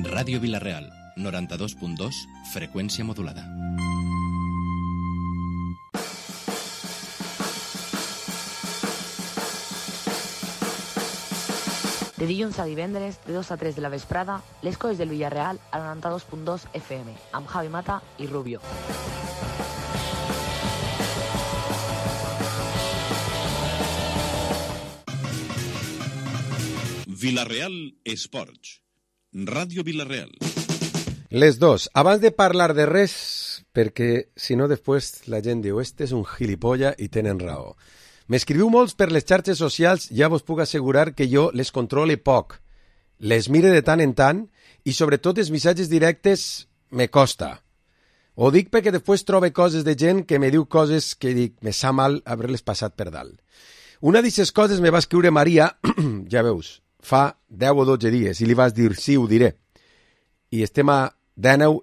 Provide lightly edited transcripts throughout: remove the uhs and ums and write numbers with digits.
Ràdio Vila-real, 92.2, freqüència modulada. De dilluns a divendres, de 2 a 3 de la vesprada, les coses del Villarreal al 92.2 FM, amb Javi Mata i Rubio. Vila-real Esports. Ràdio Vila-real. Les dos. Abans de parlar de res, perquè si no després la gent diu «Este és un gilipolla» i tenen raó. M'escriviu molts per les xarxes socials, ja vos puc assegurar que jo les controle poc. Les mire de tant en tant i sobretot els missatges directes me costa. Ho dic perquè després trobe coses de gent que me diu coses que dic, me sa mal haver-les passat per dalt. Una d'aquestes coses me va escriure Maria, ja veus, fa 10 o 12 dies, i li vas dir sí, ho diré. I estem a 19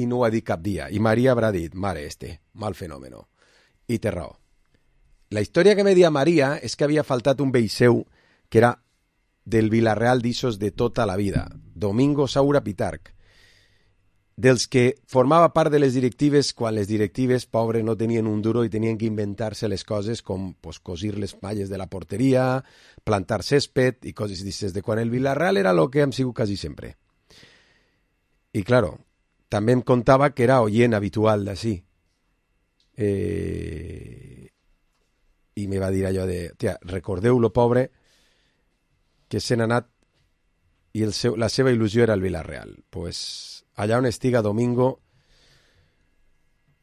i no ho ha dit cap dia. I Maria haurà dit, mare mal fenòmeno. I té raó. La història que me dia Maria és que havia faltat un vell seu que era del Villarreal d'Issos de tota la vida, Domingo Saura Pitarch, dels que formava part de les directives quan les directives, pobre, no tenien un duro i tenien que inventar-se les coses com pues, cosir les malles de la porteria, plantar césped i coses d'aquestes de quan el Villarreal era el que hem sigut quasi sempre. I, claro, també em contava que era oient habitual d'ací. I me va dir allò de, tia, recordeu lo pobre que se n'ha anat i la seva il·lusió era el Villarreal. Pues allà on estiga Domingo,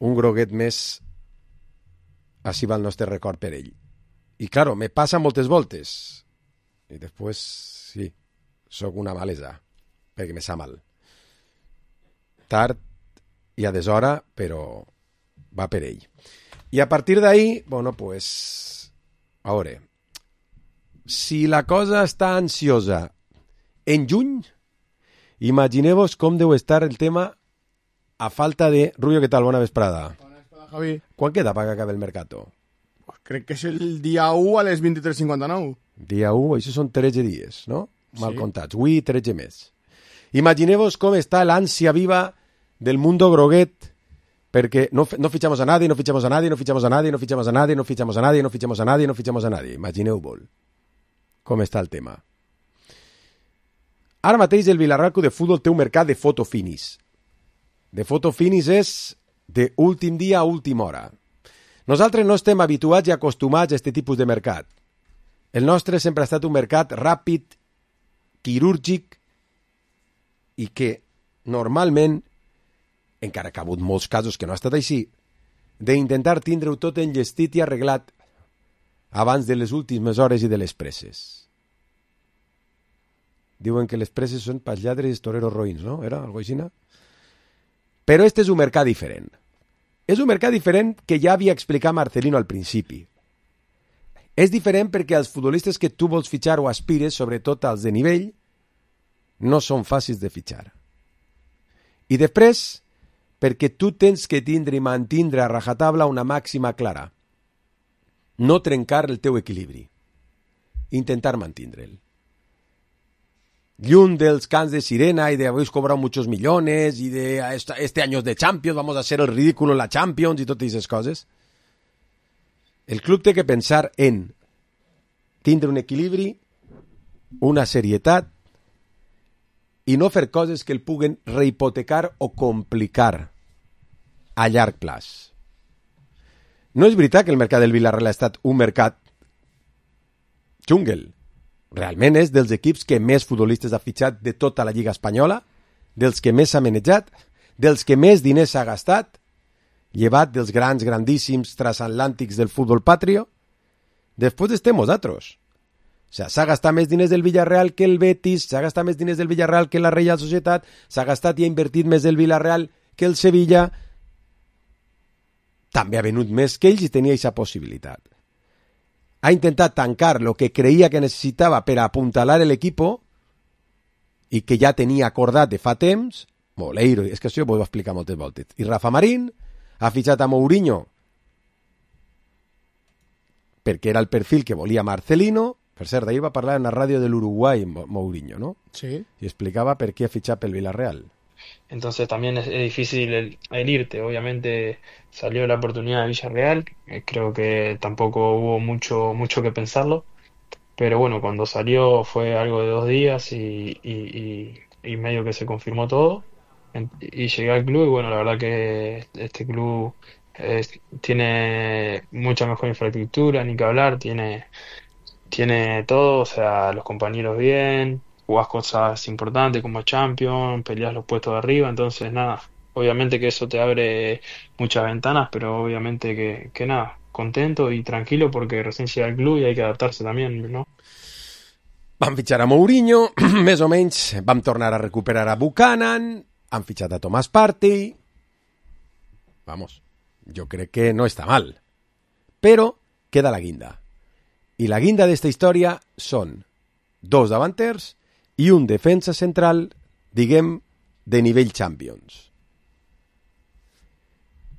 un groguet més, així va el nostre record per ell. I, claro, me passa moltes voltes. I després, sí, sóc una malesa, perquè me sa mal. Tard i a deshora, però va per ell. I a partir d'ahí, bueno, pues, a veure, si la cosa està ansiosa en juny, imagineu-vos com deu estar el tema a falta de... Rubio, què tal? Bona vesprada. Bona vesprada, Javi. Quan queda per que acabi el mercato? Crec que és el dia 1 a les 23:59. Dia 1, això són 13 dies, no? Mal comptats. Avui 13 més. Imagineu-vos com està l'ànsia viva del mundo groguet, perquè no fichamos a nadie, no fichamos a nadie, no fichamos a nadie, no fichamos a nadie, no fichamos a nadie, no fichamos a nadie, no fichamos a nadie. Imagineu-vos com està el tema. Ara mateix el Villarreal Club de Futbol té un mercat de fotofinis. De fotofinis és d'últim dia a última hora. Nosaltres no estem habituats i acostumats a aquest tipus de mercat. El nostre sempre ha estat un mercat ràpid, quirúrgic i que normalment, encara que ha hagut molts casos que no ha estat així, d'intentar tindre-ho tot enllestit i arreglat abans de les últimes hores i de les presses. Diuen que les presses són pels lladres i toreros roïns, no? Era algo així? Però este és un mercat diferent. És un mercat diferent que ja havia explicat Marcelino al principi. És diferent perquè els futbolistes que tu vols fitxar o aspires, sobretot els de nivell, no són fàcils de fitxar. I després, perquè tu tens que tindre i mantindre a rajatabla una màxima clara. No trencar el teu equilibri. Intentar mantindre'l. Lluny dels cants de sirena y de habéis cobrado muchos millones y de este año de Champions, vamos a hacer el ridículo en la Champions y totes aquestes coses. El club té que pensar en tindre un equilibri, una serietat i no fer coses que el puguen rehipotecar o complicar a llarg plaç. No és veritat que el mercat del Villarreal ha estat un mercat jungle. Realment és dels equips que més futbolistes ha fitxat de tota la Lliga Espanyola, dels que més s'ha manejat, dels que més diners s'ha gastat, llevat dels grandíssims transatlàntics del futbol patrio. Després estem nosaltres. O sigui, s'ha gastat més diners del Villarreal que el Betis, s'ha gastat més diners del Villarreal que la Reial Societat, s'ha gastat i ha invertit més del Villarreal que el Sevilla. També ha venut més que ells i tenia aquesta possibilitat. Ha intentat tancar el que creia que necessitava per apuntalar l'equip i que ja tenia acordat de fa temps. Moleiro, és que això ho vaig explicar moltes voltes. I Rafa Marín ha fitxat a Mourinho perquè era el perfil que volia Marcelino Per cert, ahir va parlar en la ràdio de l'Uruguai, Mourinho, ¿no? Sí. Y explicaba por qué ha fichado pel Villarreal. Entonces también es difícil el irte. Obviamente salió la oportunidad de Villarreal, creo que tampoco hubo mucho que pensarlo, pero bueno, cuando salió fue algo de 2 días y medio que se confirmó todo. Y llegué al club y bueno, la verdad que este club tiene mucha mejor infraestructura, ni que hablar, tiene todo, o sea, los compañeros bien, jugás cosas importantes como Champions, peleas los puestos de arriba, entonces nada, obviamente que eso te abre muchas ventanas, pero obviamente que nada, contento y tranquilo porque recién llega al club y hay que adaptarse también, ¿no? Van fitxar a Mourinho, més o menys vam tornar a recuperar a Buchanan, han fitxat a Thomas Partey. Vamos, yo creo que no está mal. Pero queda la guinda. Y la guinda de esta historia son 2 davanters y un defensa central, diguem, de nivell Champions.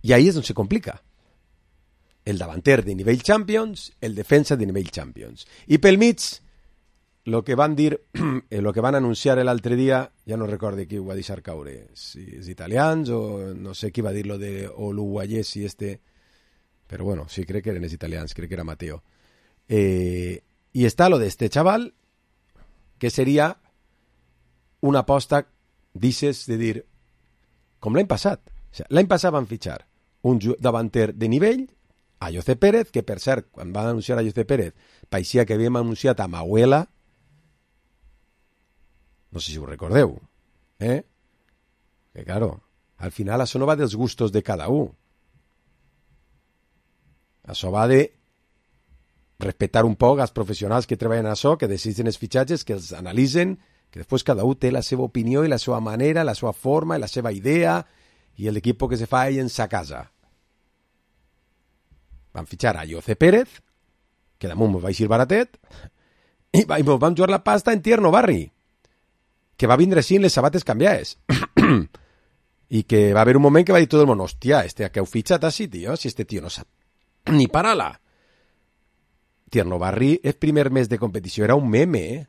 Y ahí es donde se complica. El davanter de nivell Champions, el defensa de nivell Champions. I pel mig, lo que van dir, lo que van anunciar l'altre dia, ja no recordo qui ho va deixar caure, si és italians o no sé qui va dir lo de o l'uruguayès i però bueno, sí, crec que eren els italians, crec que era Mateo. Y está lo de este chaval, que sería una aposta, dices, de dir, com l'any passat. O sigui, l'any passat van fitxar un davanter de nivell, a José Pérez, que per cert, quan van anunciar a José Pérez, paeixia que havíem anunciat a Mahuela, no sé si ho recordeu, que claro, al final això no va dels gustos de cada un. Això va de respetar un poc els professionals que treballen a això, que deciden els fitxatges, que els analitzen, que després cada un té la seva opinió i la seva manera, la seva forma i la seva idea i l'equip que se fa ell en sa casa. Van fitxar a José Pérez, que damunt va eixir baratet, i vam jugar la pasta en Tierno Barri, que va vindre sin les sabates canviades. I que va haver un moment que va dir tot el món, hòstia, que heu fitxat així, tio, si este tio no sap ni parar-la. Tierno Barri, el primer mes de competició era un meme,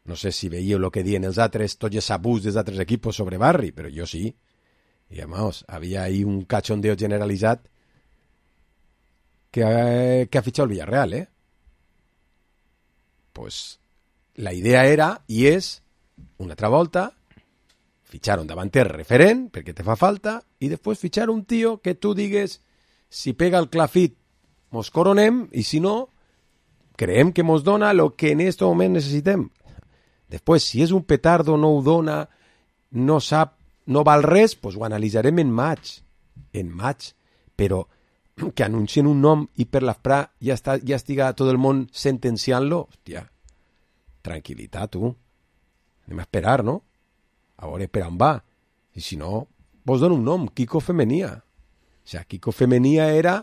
No sé si veieu el que diuen els altres, tots els abús dels altres equipos sobre Barri, però jo sí. I, vamos, havia ahí un cachondeo generalitzat que ha fitxat el Villarreal, Pues la idea era, i és, una altra volta, fitxar un davanter referent, perquè te fa falta, i després fitxar un tio que tu digues, si pega el clafit, mos coronem, i si no, creiem que mos dona el que en aquest moment necessitem. Després, si és un petardo, no ho dona, no sap, no val res, pues ho analitzarem en maig, però que anuncien un nom i per l'esprà ja estiga tot el món sentenciant-lo, hòstia, tranquil·litat, tu. Anem a esperar, no? A veure per on va. I si no, vos dono un nom, Kiko Femenia. O sigui, Kiko Femenia era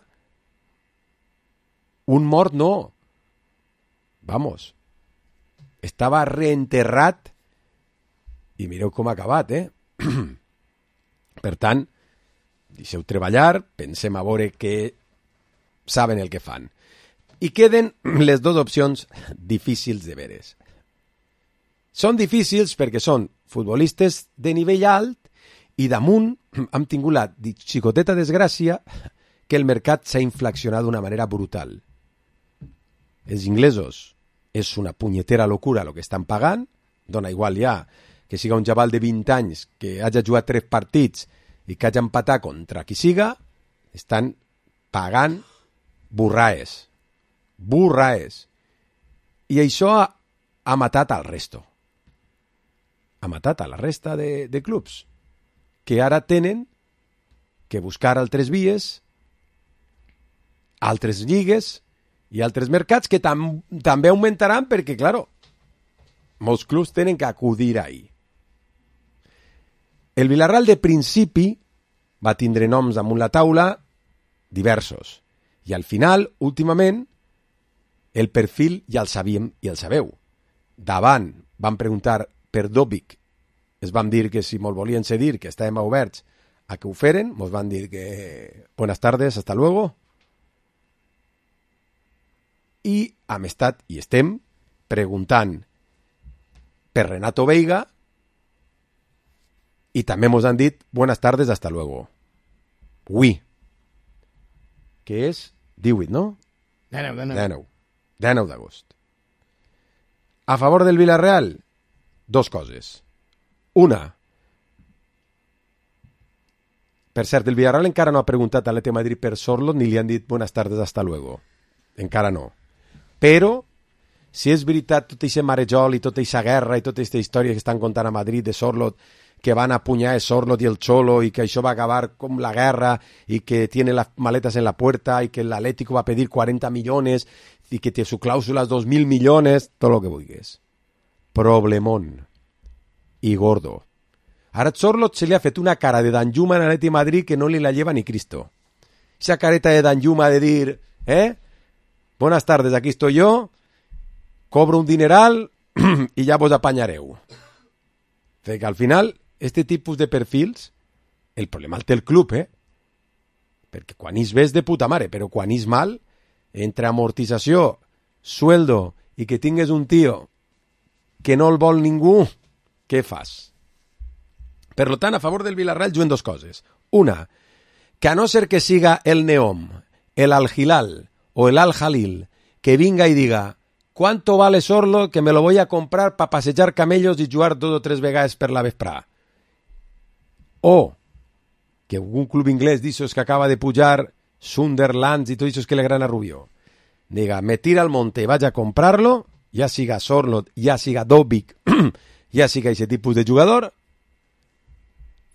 un mort, no. Vamos. Estava reenterrat i mireu com ha acabat, Per tant, deixeu treballar, pensem a veure que saben el que fan. I queden les dues opcions difícils de veres. Són difícils perquè són futbolistes de nivell alt i damunt hem tingut la xicoteta desgràcia que el mercat s'ha inflacionat d'una manera brutal. Els inglesos és una punyetera locura el que estan pagant, dona igual ja que siga un xaval de 20 anys que hagi jugat 3 partits i que hagi empatat contra qui siga, estan pagant burraes. I això ha matat al resto. Ha matat a la resta de clubs que ara tenen que buscar altres vies, altres lligues i altres mercats que també augmentaran perquè, claro, molts clubs tenen que acudir ahí. El Villarreal de principi va tindre noms damunt la taula diversos i al final, últimament, el perfil ja el sabíem i el sabeu. Davant van preguntar per Dobic, es van dir que si mos volien cedir, que estàvem oberts a que ho feren, mos van dir que buenas tardes, hasta luego. i hem estat i estem preguntant per Renato Veiga i també mos han dit buenas tardes, hasta luego. Ui, que és 18, no? 19 d'agost. A favor del Villarreal, dos coses. Una, per cert, el Villarreal encara no ha preguntat a l'Atlètic Madrid per Sorloth ni li han dit buenas tardes, hasta luego. Encara no. Però, si és veritat tot aquest marejol i tota aquesta guerra i tota aquesta història que estan contant a Madrid de Sorloth, que van a puñar a Sorloth i el Cholo i que això va acabar com la guerra i que tiene las maletas en la puerta y que el Atlético va a pedir 40 millones y que su cláusula es 2.000 millones, todo lo que vulguis. Problemón. I gordo. Ara Sorloth se li ha fet una cara de Danjuma en l'Atlètic Madrid que no li la lleva ni Cristo. Esa careta de Danjuma de dir, buenas tardes, aquí estoy yo, cobro un dineral y ya vos apañareu. Que al final, este tipus de perfils, el problema el té el club, perquè quan és bé és de puta mare, però quan és mal, entre amortització, sueldo i que tingues un tio que no el vol ningú, què fas? Per tant, a favor del Villarreal juguen dos coses. Una, que a no ser que siga el Neom, el Al-Hilal o el Al-Jalil, que vinga i diga ¿cuánto vale Sorloth que me lo voy a comprar para pasejar camellos y jugar 2 o 3 vegades per la vesprà? O que un club inglés d'ixos que acaba de pujar, Sunderland y todo eso que le gran a Rubio, diga, me tira al monte y vaya a comprarlo, ya siga Sorloth, ya siga Dobbik, ya siga ese tipus de jugador.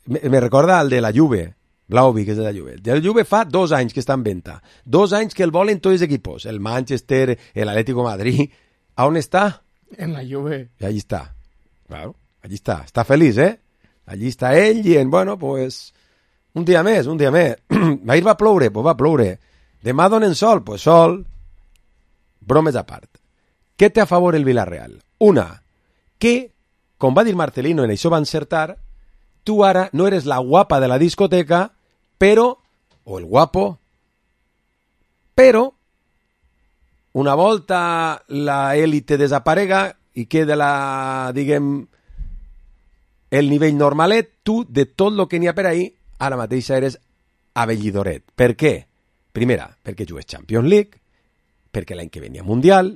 Me recorda al de la Juve, Vlahovic, que és de la Juve. De la Juve fa 2 anys que està en venta. 2 anys que el volen tots els equipos. El Manchester, el Atlético de Madrid. ¿A on està? En la Juve. Y allí está. Claro, allí está. Está feliz, Allí està ell i, bueno, pues, un dia més. Ahir va ploure, pues va ploure. Demà donen sol, pues sol. Bromes a part. Què té a favor el Villarreal? Una, que, com va dir Marcelino, en això va encertar, tu ara no eres la guapa de la discoteca, però, o el guapo, però, una volta la élite desaparega i queda la, diguem, el nivell normalet, tu, de tot el que n'hi ha per ahí, ara mateix eres abellidoret. Per què? Primera, perquè jugues Champions League, perquè l'any que ve n'hi ha Mundial,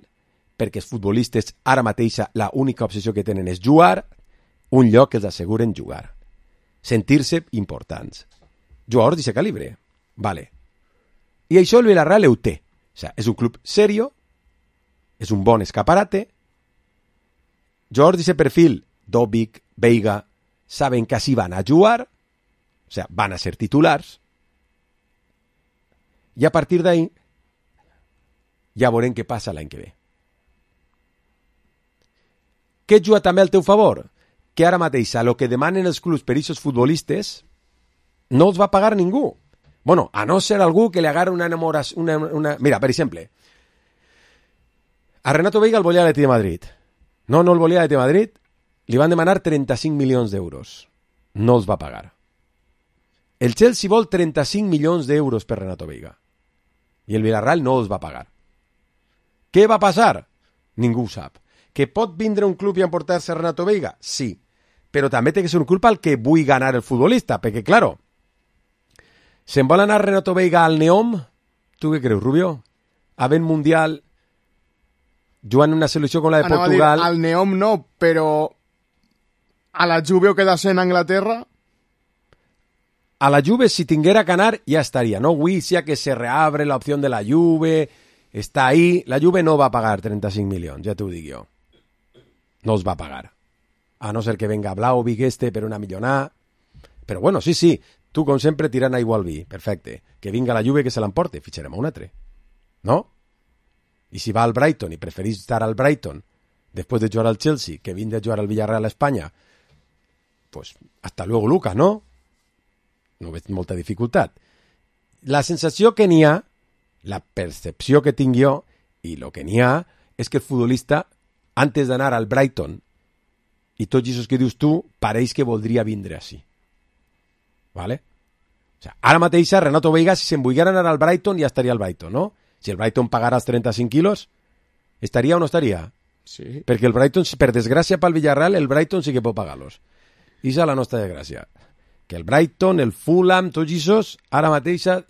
perquè els futbolistes ara mateix la única obsessió que tenen és jugar, un lloc que els asseguren jugar. Sentir-se importants. Jugadors d'aquest calibre. Vale. I això el Villarreal ho té. O sea, és un club serio, és un bon escaparate. Jugadors d'aquest perfil, Dobbik, Veiga, saben que així van a jugar, o sea, van a ser titulars, i a partir d'ahí ja veurem què passa l'any que ve. Què juga també al teu favor? Que ara mateix a lo que demanen els clubs per aquests futbolistes no els va pagar ningú. Bueno, a no ser algú que li agarra una enamoració... Mira, per exemple, a Renato Veiga el volia l'Atlètic de Madrid. No el volia l'Atlètic de Madrid. Li van demanar 35 milions d'euros. No els va pagar. El Chelsea vol 35 milions d'euros per Renato Veiga. I el Villarreal no els va pagar. Què va passar? Ningú ho sap. Que pot vindre un club i emportar-se a Renato Veiga? Sí. Però també té que ser un club al que vull ganar el futbolista, perquè, claro, se'n vol anar Renato Veiga al Neom? Tu què creus, Rubio? Havent Mundial, jugant una selecció com la de Portugal... Al Neom no, però a la Juve o quedar-se en Anglaterra... A la Juve, si tinguera que anar, ja estaria, no? Avui sí que se reabre la opció de la Juve, està ahí. La Juve no va pagar 35 milions, ja t'ho dic jo. No els va pagar. A no ser que venga Vlahovic per una millonada. Però bueno, sí, tu com sempre tirant aigua al vi, perfecte. Que vinga la Juve que se l'emporte, fitxarem un altre. No? I si va al Brighton i preferís estar al Brighton després de jugar al Chelsea que vindre a jugar al Villarreal a Espanya, pues hasta luego Lucas, ¿no? No veig molta dificultat. La sensació que n'hi ha, la percepció que tinc jo i el que n'hi ha és que el futbolista, antes d'anar al Brighton i tots aquests que dius tu, pareix que voldria vindre així. ¿Vale? O sea, ara mateix Renato Veiga, si se'n volguera anar al Brighton, ja estaria al Brighton, no? Si el Brighton pagara els 35 quilos, Estaria o no estaria? Sí. Perquè el Brighton, per desgràcia pel Villarreal, el Brighton sí que pot pagar-los. I és la nostra desgràcia. Que el Brighton, el Fulham, tots aquests, ara mateixa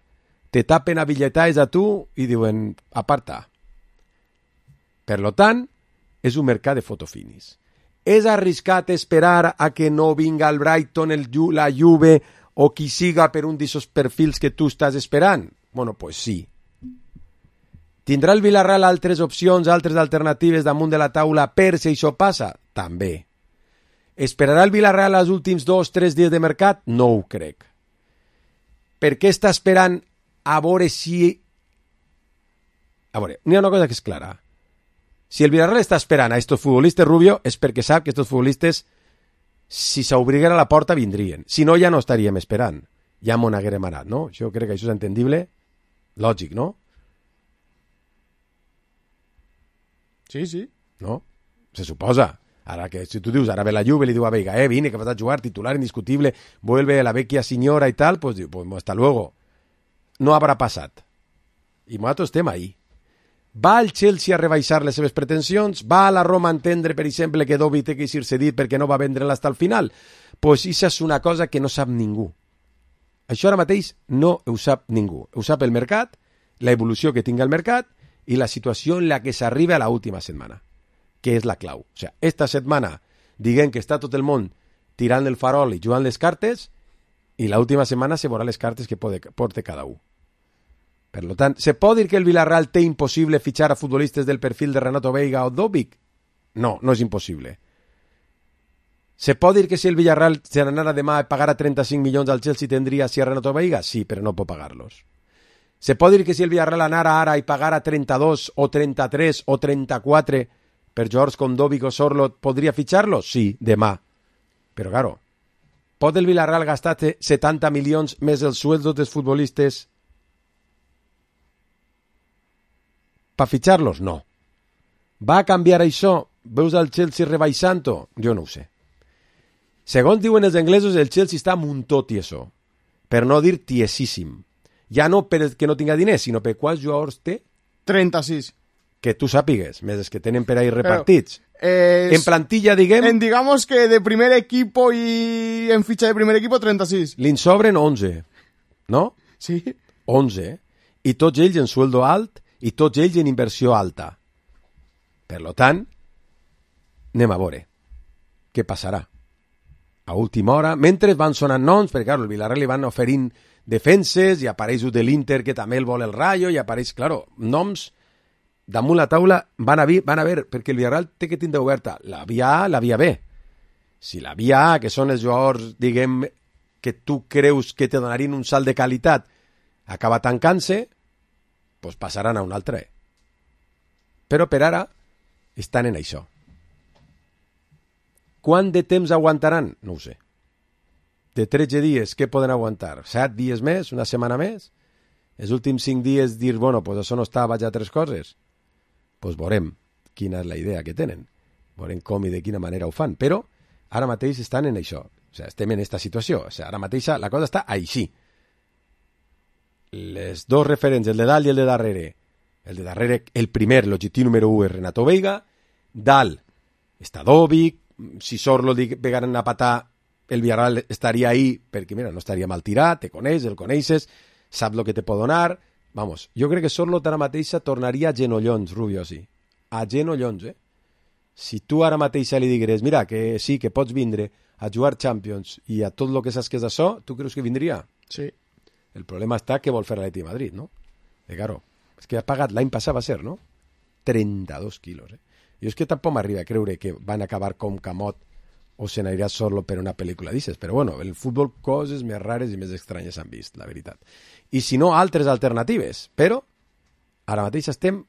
te tapen a bitlletades a tu i diuen, aparta. Per lo tant, és un mercat de fotofinis. És arriscat esperar a que no vinga el Brighton, la Juve o qui siga per un d'aquests perfils que tu estàs esperant? Bueno, pues sí. Tindrà el Villarreal altres opcions, altres alternatives damunt de la taula per si això passa? També. Esperarà el Villarreal els últims 2-3 dies de mercat? No ho crec. Per què està esperant a veure si... A veure, n'hi ha una cosa que és clara. Si el Villarreal està esperant a estos futbolistes, Rubio, és perquè sap que estos futbolistes, si s'obriguera la porta, vindrien. Si no, ja no estaríem esperant. Ja m'ho n'haguérem anat, no? Jo crec que això és entendible. Lògic, no? Sí, sí. No? Se suposa. Ara que si tu dius, ara ve la Juve, li diu a Veiga, vine, que vas a jugar, titular indiscutible, vuelve la vecchia señora y tal, pues diu, pues hasta luego. No habrà passat. I nosaltres estem ahí. Va el Chelsea a rebaixar les seves pretensions? Va la Roma a entendre, per exemple, que Dobby té que ser cedit perquè no va vendre-la hasta el final? Pues això és una cosa que no sap ningú. Això ara mateix no ho sap ningú. Ho sap el mercat, la evolució que tinga el mercat i la situació en la que s'arriba a l'última setmana, que és la clau. O sigui, esta setmana diguem que està tot el món tirant el farol i jugant les cartes i l'última setmana se veurà les cartes que porta cada un. Per tant, se pot dir que el Villarreal té impossible fitxar a futbolistes del perfil de Renato Veiga o Dobic? No, no és impossible. Se pot dir que si el Villarreal se n'anara demà a pagar a 35 milions al Chelsea tindria si a Renato Veiga? Sí, però no pot pagar-los. Se pot dir que si el Villarreal anara ara i pagara 32 o 33 o 34 per jugadors com Dobic o Sorloth, podria fitxar-los? Sí, demà. Però, claro, pot el Villarreal gastar 70 milions més els sueldos dels futbolistes per fitxar-los? No. Va canviar això? Veus el Chelsea rebaixant-ho? Jo no ho sé. Segons diuen els anglesos, el Chelsea està muntot i això. Per no dir tiesíssim. Ja no perquè no tinga diners, sinó per quants jugadors té? 36. Que tu sàpigues, més els que tenen per ahí repartits. En plantilla, diguem... digamos que de primer equipo y en ficha de primer equipo, 36. Li'n sobren 11, no? Sí. 11, i tots ells en sueldo alt i tots ells en inversió alta. Per lo tant, anem a veure què passarà. A última hora, mentre van sonant noms, perquè clar, el Villarreal li van oferint defenses, i apareix de l'Inter, que també el vol el Rayo, i apareix, claro, noms damunt la taula van a ver, perquè el Villarreal té que tindre oberta la via A, la via B. Si la via A, que són els jugadors, diguem, que tu creus que te donarien un salt de qualitat, acaba tancant-se, doncs passaran a un altre. Però per ara estan en això. Quant de temps aguantaran? No ho sé. De 13 dies, què poden aguantar? 7 dies més? Una setmana més? Els últims 5 dies dir, bueno, pues això no està, vaig a 3 coses. Pues veurem quina és la idea que tenen. Veurem com i de quina manera ho fan. Però ara mateix estan en això. O sigui, estem en aquesta situació. O sigui, ara mateix la cosa està així. Les dos referents, el de dalt i el de darrere. El de darrere, el primer, l'objectiu número 1 és Renato Veiga. Dalt està Dobic. Si Sorloth pegaran a patar, el Villarreal estaria ahí, perquè mira, no estaria mal tirat, te coneix, el coneixes, sap el que te pot donar. Vamos, jo crec que Sorloth ara mateixa tornaria a genollons, Rubio, sí. A genollons, Si tu ara mateixa li digueres, mira, que sí, que pots vindre a jugar Champions i a tot el que saps que és d'això, tu creus que vindria? Sí. El problema està que vol fer l'Atleti de Madrid, no? Claro, és que ha pagat, l'any passat va ser, no? 32 quilos, Jo és que tampoc m'arriba a creure que van acabar com Camot o se n'anirà Sorloth per una pel·lícula d'aixes, però bueno, el futbol coses més rares i més estranyes s'han vist, la veritat. I si no, altres alternatives, però ara mateix estem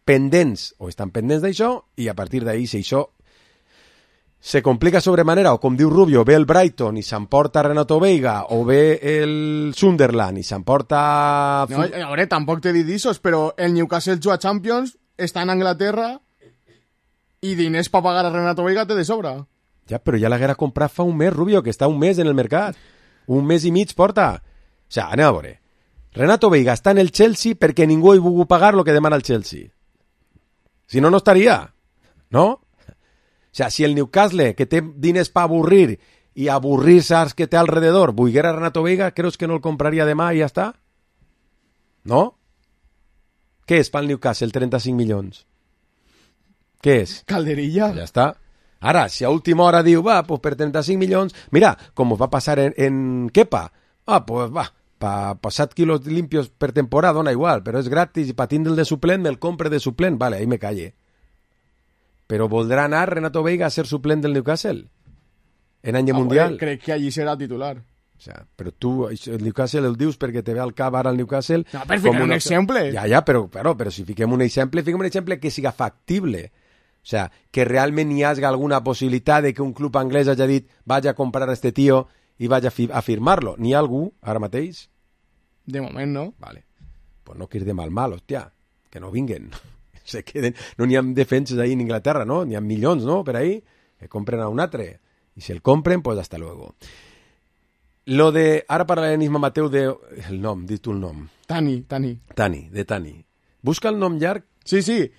pendents, o estan pendents d'això, i a partir d'ahir, si això se complica sobremanera, o com diu Rubio, ve el Brighton i s'emporta Renato Veiga, o ve el Sunderland i s'emporta... No, a veure, tampoc t'he dit d'això, però el Newcastle juga Champions, està en Anglaterra, i diners per pagar a Renato Veiga té de sobra. Ja, però ja l'haguera comprat fa un mes, Rubio, que està un mes en el mercat. Un mes i mig porta. O sigui, anem a veure. Renato Veiga està en el Chelsea perquè ningú ha volgut pagar el que demana el Chelsea. Si no, no estaria, no? O sea, si el Newcastle, que té diners per avorrir i avorrir-se als que té alrededor, volguera Renato Veiga, creus que no el compraria demà i ja està? No? Què és pel Newcastle 35 milions? Què és? Calderilla. Ja està. Ara, si a última hora diu, va, pues per 35 milions... Mira, com va passar en Kepa. Ah, pues va, pa 7 quilos limpios per temporada dona igual, però és gratis i pa tindre'l de suplent me'l compre de suplent. Vale, ahí me calle. Però voldrà anar Renato Veiga a ser suplent del Newcastle en any mundial? Crec que allí serà titular. O sea, però tu el Newcastle el dius perquè te ve al cap ara el Newcastle... No, per ficar un exemple. Ja, però si fiquem un exemple que siga factible. O sea, que realment hi hagi alguna possibilitat de que un club anglès hagi dit vaig a comprar a este tío i vaig a firmar-lo. N'hi ha algú ara mateix? De moment, no. Vale. Pues no quirs de mal, hòstia. Que no vinguen. Se queden. No n'hi ha defenses ahí en Inglaterra, ¿no? N'hi ha milions, ¿no? Per ahí. Que compren a un altre. Y si el compren, pues hasta luego. Lo de... Ara parlarem, Mateu, de... El nom, dis tu el nom. Tani. Tani. Busca el nom llarg. Sí.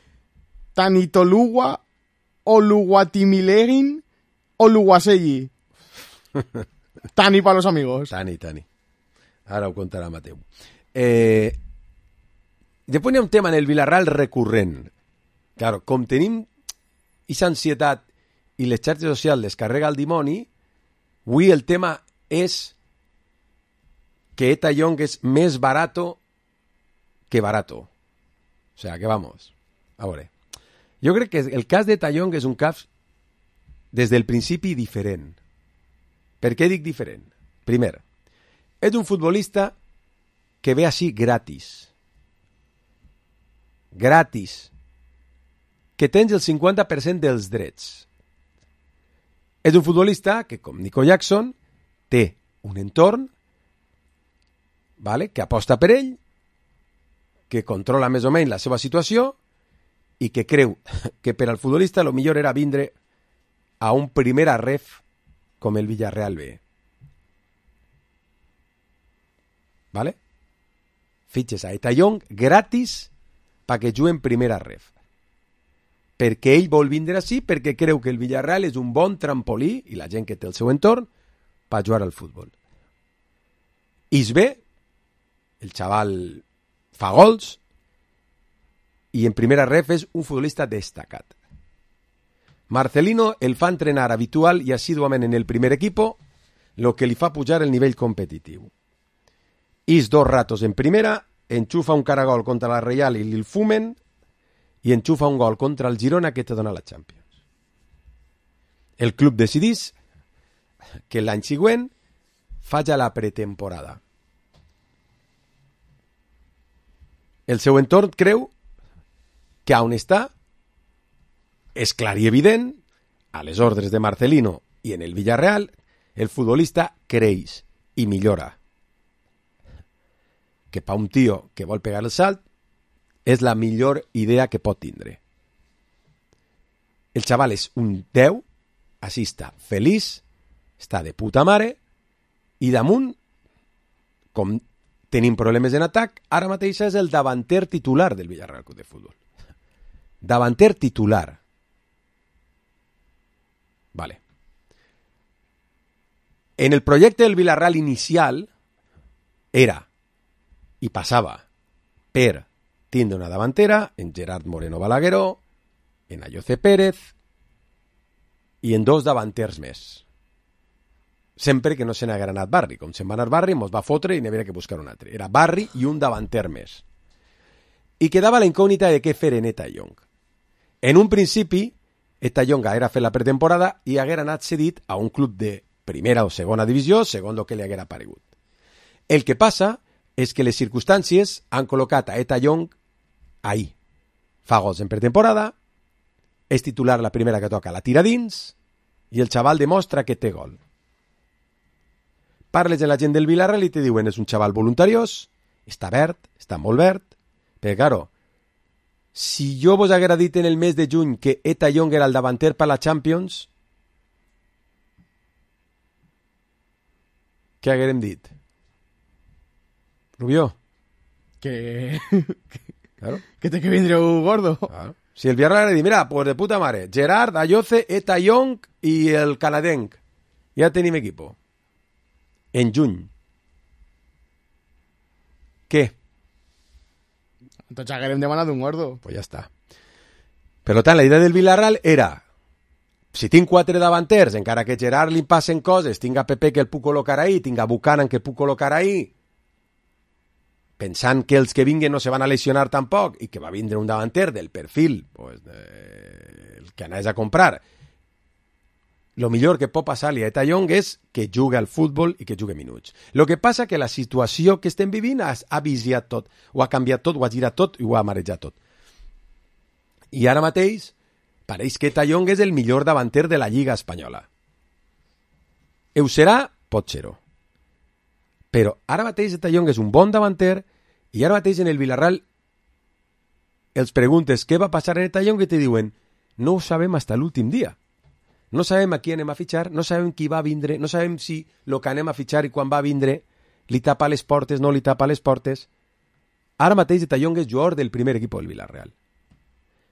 Tani Toluwa, Oluwatimilegin, Oluwaseyi. Tani para los amigos. Tani. Ara ho contarà Mateu. Després hi ha un tema en el Villarreal recurrent. Claro, com tenim aquesta ansietat i les xarxes socials descarrega el dimoni, avui el tema és que Eta Young és més barato que barato. O sea, que vamos. A veure. Jo crec que el cas d'Eta Young és un cas des del principi diferent. Per què dic diferent? Primer, és un futbolista que ve així gratis. Que tens el 50% dels drets. És un futbolista que, com Nico Jackson, té un entorn, vale, que aposta per ell, que controla més o menys la seva situació i que creu que per al futbolista el millor era vindre a un primera ref com el Villarreal B. Vale? Fitxes a Eta Young gratis perquè jugui en primera ref. Perquè ell vol vindre així, perquè creu que el Villarreal és un bon trampolí, i la gent que té el seu entorn, per jugar al futbol. I es ve, el xaval fa gols, i en primera ref és un futbolista destacat. Marcelino el fa entrenar habitual i assíduament en el primer equipo, lo que li fa pujar el nivell competitiu. Is 2 ratos en primera, enxufa un caragol contra la Reial i li'l fumen, i enxufa un gol contra el Girona que te dona la Champions. El club decidís que l'any següent faci la pretemporada. El seu entorn creu que on està és clar i evident, a les ordres de Marcelino i en el Villarreal, el futbolista creix i millora. Que per un tio que vol pegar el salt és la millor idea que pot tindre. El xaval és un 10, així està feliç, està de puta mare, i damunt, com tenim problemes en atac, ara mateix és el davanter titular del Villarreal Club de Futbol. Davanter titular. Vale. En el projecte del Villarreal inicial era, i passava, per tindre una davantera en Gerard Moreno Balagueró, en Ayoce Pérez i en 2 davanters més. Sempre que no se n'haguera anat Barri. Com se'n va anar Barri, mos va fotre i n'havia que buscar un altre. Era Barri i un davanter més. I quedava la incògnita de què fer en Eta Young. En un principi, Eta Young haguera fet la pretemporada i haguera anat cedit a un club de primera o segona divisió, segons el que li haguera paregut. El que passa és que les circumstàncies han col·locat a Eta Young ahí. Fa gols en pretemporada, és titular la primera que toca, la tira dins, i el xaval demostra que té gol. Parles amb la gent del Villarreal i te diuen és un xaval voluntariós, està verd, està molt verd, però claro, si jo vos haguera dit en el mes de juny que Eta Young era el davanter per la Champions, què haguérem dit? Rubió? Que... Claro. Que té que vindre un gordo. Claro. Si el Villarreal li diu, mira, pues de puta mare, Gerard, Ayoce, Eta Young i el canadenc. Ja tenim equipo. En juny. Què? Tots haguérem demanat un gordo. Pues ja està. Per tant, la idea del Villarreal era, si tinc 4 davanters, encara que Gerard li passen coses, tinc a Pepe que el puc col·locar ahí, tinc a Buchanan que el puc col·locar ahí, pensant que els que vinguen no se van a lesionar tampoc i que va vindre un davanter del perfil pues, el que anaves a comprar, lo millor que pot passar-li a Eta Young és que jugui al futbol i que jugui minuts. Lo que passa que la situació que estem vivint ha viciat tot, ho ha canviat tot, ho ha girat tot i ho ha marejat tot. I ara mateix pareix que Eta Young és el millor davanter de la Lliga Espanyola. Ho serà? Pot ser-ho. Però ara mateix Eta Young és un bon davanter i ara mateix en el Villarreal els preguntes què va passar en Eta Young i te diuen no ho sabem fins l'últim dia. No sabem a qui anem a fitxar, no sabem qui va vindre, no sabem si el que anem a fitxar i quan va vindre li tapa les portes, no li tapa les portes. Ara mateix Eta Young és jugador del primer equip del Villarreal.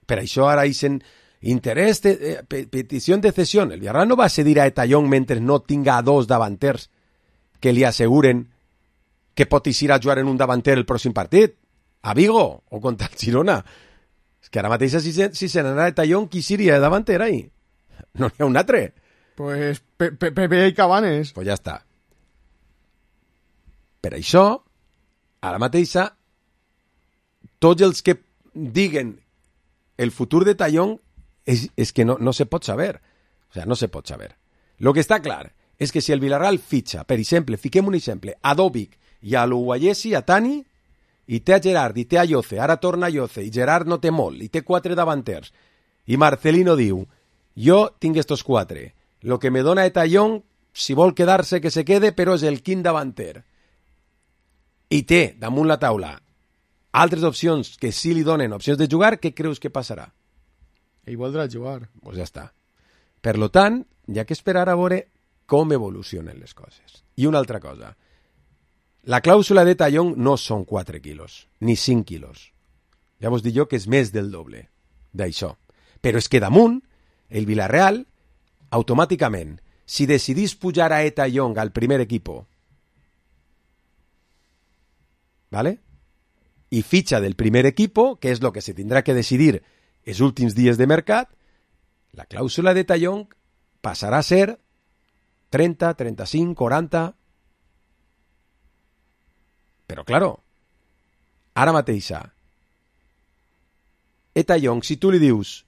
Per això ara dicen interès, petició de cessió. El Villarreal no va cedir a Eta Young mentre no tinga 2 davanters que li asseguren que pot ir a jugar en un davanter el pròxim partit, a Vigo o contra el Girona. És que ara mateix si se n'anà Eta Young, qui seria de davanter ahí? No n'hi ha un altre. Pues Pepe i Cabanes. Pues ja està. Per això, ara mateixa, tots els que diguen el futur de Eta Young és que no se pot saber. O sea, no se pot saber. Lo que està clar és que si el Villarreal fitxa, per exemple, fiquem un exemple, a Dovic i a l'Uguayesi, a Tani, i té a Gerard, i té a Ayoce, ara torna a Ayoce, i Gerard no té molt, i té 4 davanters, i Marcelino diu, jo tinc estos 4, lo que me dona Eta Young, si vol quedar-se que se quede, però és el quint davanter, i té damunt la taula altres opcions que sí li donen opcions de jugar, què creus que passarà? Ell voldrà jugar. Pues ja està. Per lo tant, hi ha que esperar a veure com evolucionen les coses. I una altra cosa, la clàusula d'Eta Young no són 4 quilos, ni 5 quilos. Ja vos dic jo que és més del doble d'això. Però és que damunt, el Villarreal, automàticament, si decidís pujar a Eta Young al primer equipo, ¿vale? Y ficha del primer equipo, que es lo que se tendrá que decidir els últims dies de mercat, la clàusula d'Eta Young passarà a ser 30, 35, 40... Però, claro, ara mateixa, Eta Young, si tu li dius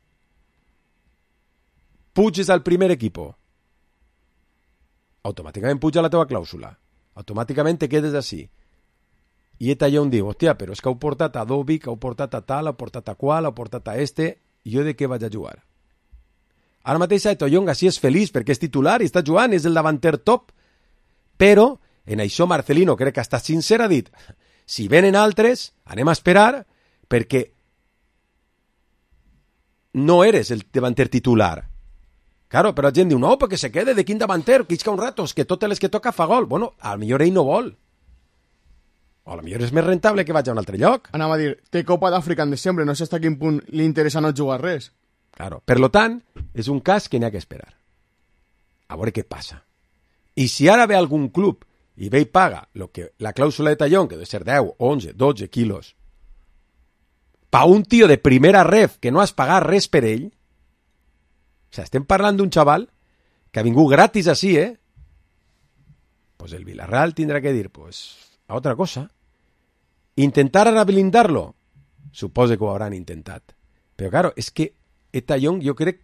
puges al primer equipo, automàticament puja la teva clàusula, automàticament te quedes així. I Eta Young diu, hòstia, però és que heu portat a Dovic, heu portat a tal, heu portat a qual, heu portat a este, i jo de què vaig a jugar? Ara mateix Eta Young així és feliç perquè és titular i està jugant, és el davanter top, però en això Marcelino crec que ha estat sincer, ha dit, si venen altres, anem a esperar, perquè no eres el davanter titular. Claro, però la gent diu, no, perquè se quede de quin davanter, que isca un rato, és que totes les que toca fa gol. Bueno, a lo millor ell no vol. O a lo millor és més rentable que vagi a un altre lloc. Anava a dir, té Copa d'Àfrica en desembre, no sé fins a quin punt li interessa no jugar res. Claro, per lo tant, és un cas que n'hi ha que esperar. A veure què passa. I si ara ve algun club i ve i paga lo que la clàusula de Tallón, que deu ser 10, 11, 12 quilos, pa un tio de primera ref que no has pagat res per ell, o sea, estem parlant d'un xaval que ha vingut gratis així, pues el Villarreal tindrà que dir, pues, a otra cosa. Intentar ara blindarlo, suposo que ho hauran intentat. Però, claro, és que Eta Young jo crec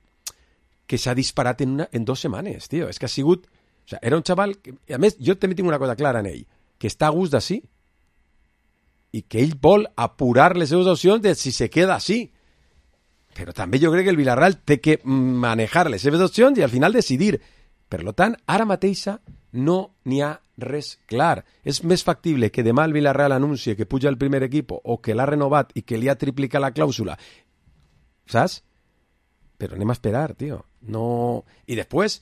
que s'ha disparat en 2 setmanes, tio. És que ha sigut... O sea, era un xaval... Que, a més, jo també tinc una cosa clara en ell, que està a gust d'ací. I que ell vol apurar les seves opcions de si se queda així. Però també jo crec que el Villarreal té que manejar les seves opcions i al final decidir. Per tant, ara mateixa no n'hi ha res clar. És més factible que demà el Villarreal anuncie que puja al primer equip o que l'ha renovat i que li ha triplicat la clàusula. Saps? Però anem a esperar, tio. No... I després,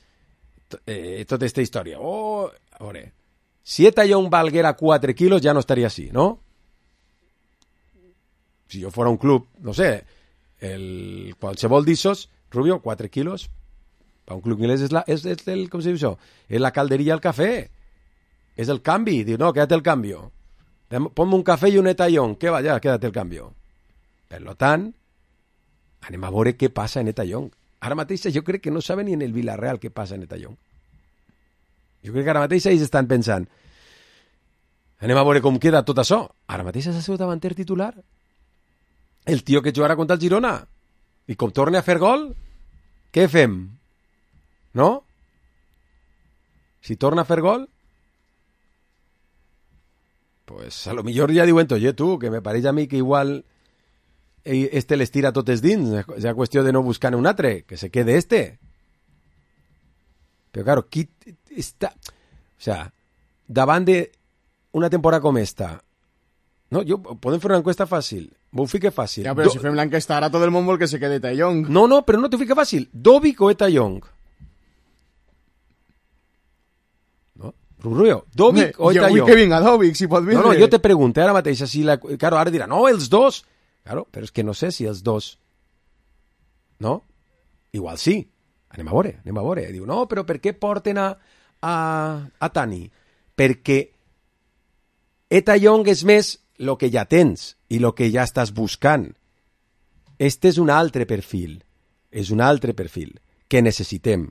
tota aquesta història. Oh, a veure, si Eta Young valguera 4 quilos ja no estaria així, ¿no? Si jo fora un club, no sé, qualsevol d'issos, Rubio, 4 quilos, per un club inglès com se diu això? És la calderia al cafè. És el canvi. Diu, no, quédate el cambio. Ponme un cafè i un etallón. Què va, ja, quédate el cambio. Per tant, anem a veure què passa en Etallón. Ara mateix jo crec que no saben ni en el Villarreal què passa en Etallón. Jo crec que ara mateix ells estan pensant, anem a veure com queda tot això. Ara mateix és el seu davanter titular. El tio que jugarà contra el Girona. I com torna a fer gol, què fem? No? Si torna a fer gol, pues a lo millor ja diuen, oye, tu, que me pareix a mi que igual este les tira totes dins, és a qüestió de no buscar un altre, que se quede este. Però claro, qui està... O sea, davant d'una temporada com esta, no, podem fer una encuesta fàcil, m'ho fique fàcil. Ja, però si fem l'enquesta ara tot el món vol que se quede Etallón. No, però no t'ho fique fàcil. Dovic o Etallón? Rubio, Dovic o Etallón? Jo vull que vinga Dovic, si pot vindre. No, jo te pregunto ara mateix, si claro, ara dirà, no, els dos. Claro, però és que no sé si els dos... No? Igual sí. Anem a veure. Diu, no, però per què porten a Tani? Perquè Etallón és més el que ja tens i el que ja estàs buscant. Este és un altre perfil. És un altre perfil que necessitem.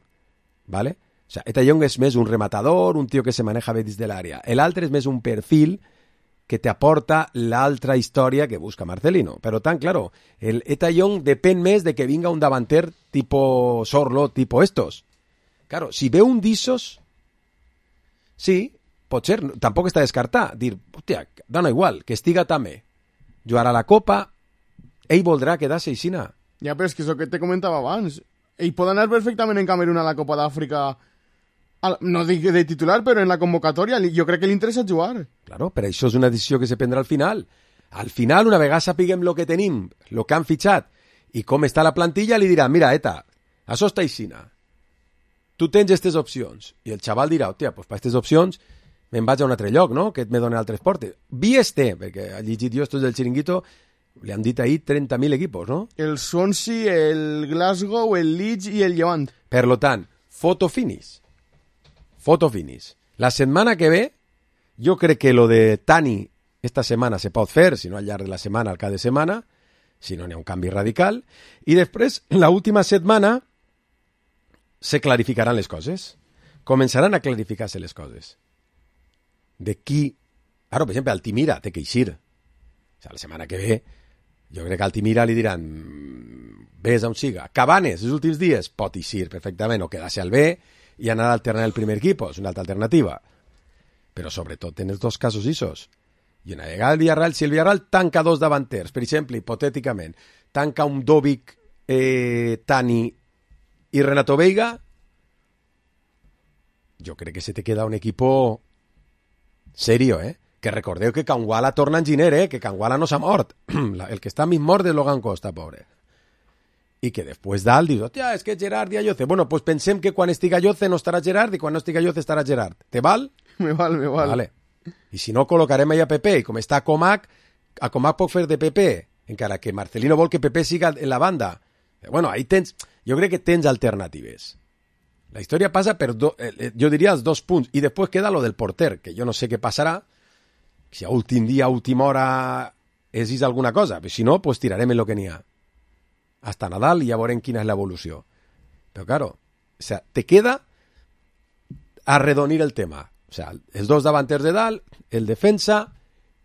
¿Vale? O sea, Etallón és més un rematador, un tio que se maneja bé dins de l'àrea. L'altre és més un perfil que te aporta l'altra història que busca Marcelino. Però tant, claro, el Etallón depèn més de que vinga un davanter tipo Sorlo, tipo estos. Claro, si ve un d'issos, sí, pot ser, tampoc està descartat. Dir, hòstia, dona igual, que estiga també. Jugarà la Copa, ell voldrà quedar-se aixina. Ja, però és que és el que te comentava abans. Ell pot anar perfectament en Camerún a la Copa d'Àfrica, no dic de titular, però en la convocatòria jo crec que li interessa jugar. Claro, però això és una decisió que se prendrà al final. Al final, una vegada sapiguem el que tenim, el que han fitxat i com està la plantilla, li dirà, mira, Eta, això està aixina. Tu tens aquestes opcions. I el xaval dirà, hòstia, pues per aquestes opcions me'n vaig a un altre lloc, no? Que me donen altres portes. Vies té, perquè ha llegit jo estos del Chiringuito, li han dit ahir 30.000 equipos, no? El Swansea, el Glasgow, el Leeds i el Levant. Per lo tant, foto finish. La setmana que ve, jo crec que lo de Tani esta setmana se pot fer, si no al llarg de la setmana, al cap de setmana, si no n'hi ha un canvi radical, i després, la última setmana, se clarificaran les coses. Començaran a clarificar-se les coses. De qui... Ara, per exemple, Altimira té que eixir. O sea, la setmana que ve, jo crec que a Altimira li diran vés on siga. Cabanes, els últims dies, pot eixir perfectament o quedar-se al B i anar a alternar el primer equip, és una altra alternativa. Però sobretot en els dos casos issos. I una vegada el Villarreal, si el Villarreal tanca dos davanters, per exemple, hipotèticament, tanca un Dovic, Tani i Renato Veiga, jo crec que se te queda un equipo serio, Que recordeu que Canguala torna enginyer, que Canguala no s'ha mort. El que està més mort és Logan Costa, pobre. I que després dalt dius, hòstia, és que Gerard i Ayoce. Bueno, pues pensem que quan estiga Ayoce no estarà Gerard i quan no estiga Ayoce estarà Gerard. Te val? Me val. Vale. I si no, col·locarem allà Pepe. I com està Comac, a Comac pot fer de Pepe, encara que Marcelino vol que Pepe siga en la banda. Bueno, ahí tens... Jo crec que tens alternatives. La història passa per, jo diria, els 2 punts. I després queda lo del porter, que jo no sé què passarà. Si a últim dia, a última hora, és alguna cosa. Però si no, pues tirarem en lo que n'hi ha. Hasta Nadal i ja veurem quina és l'evolució. Però, claro, o sea, te queda arredonir el tema. O sea, els dos davanters de dalt, el defensa,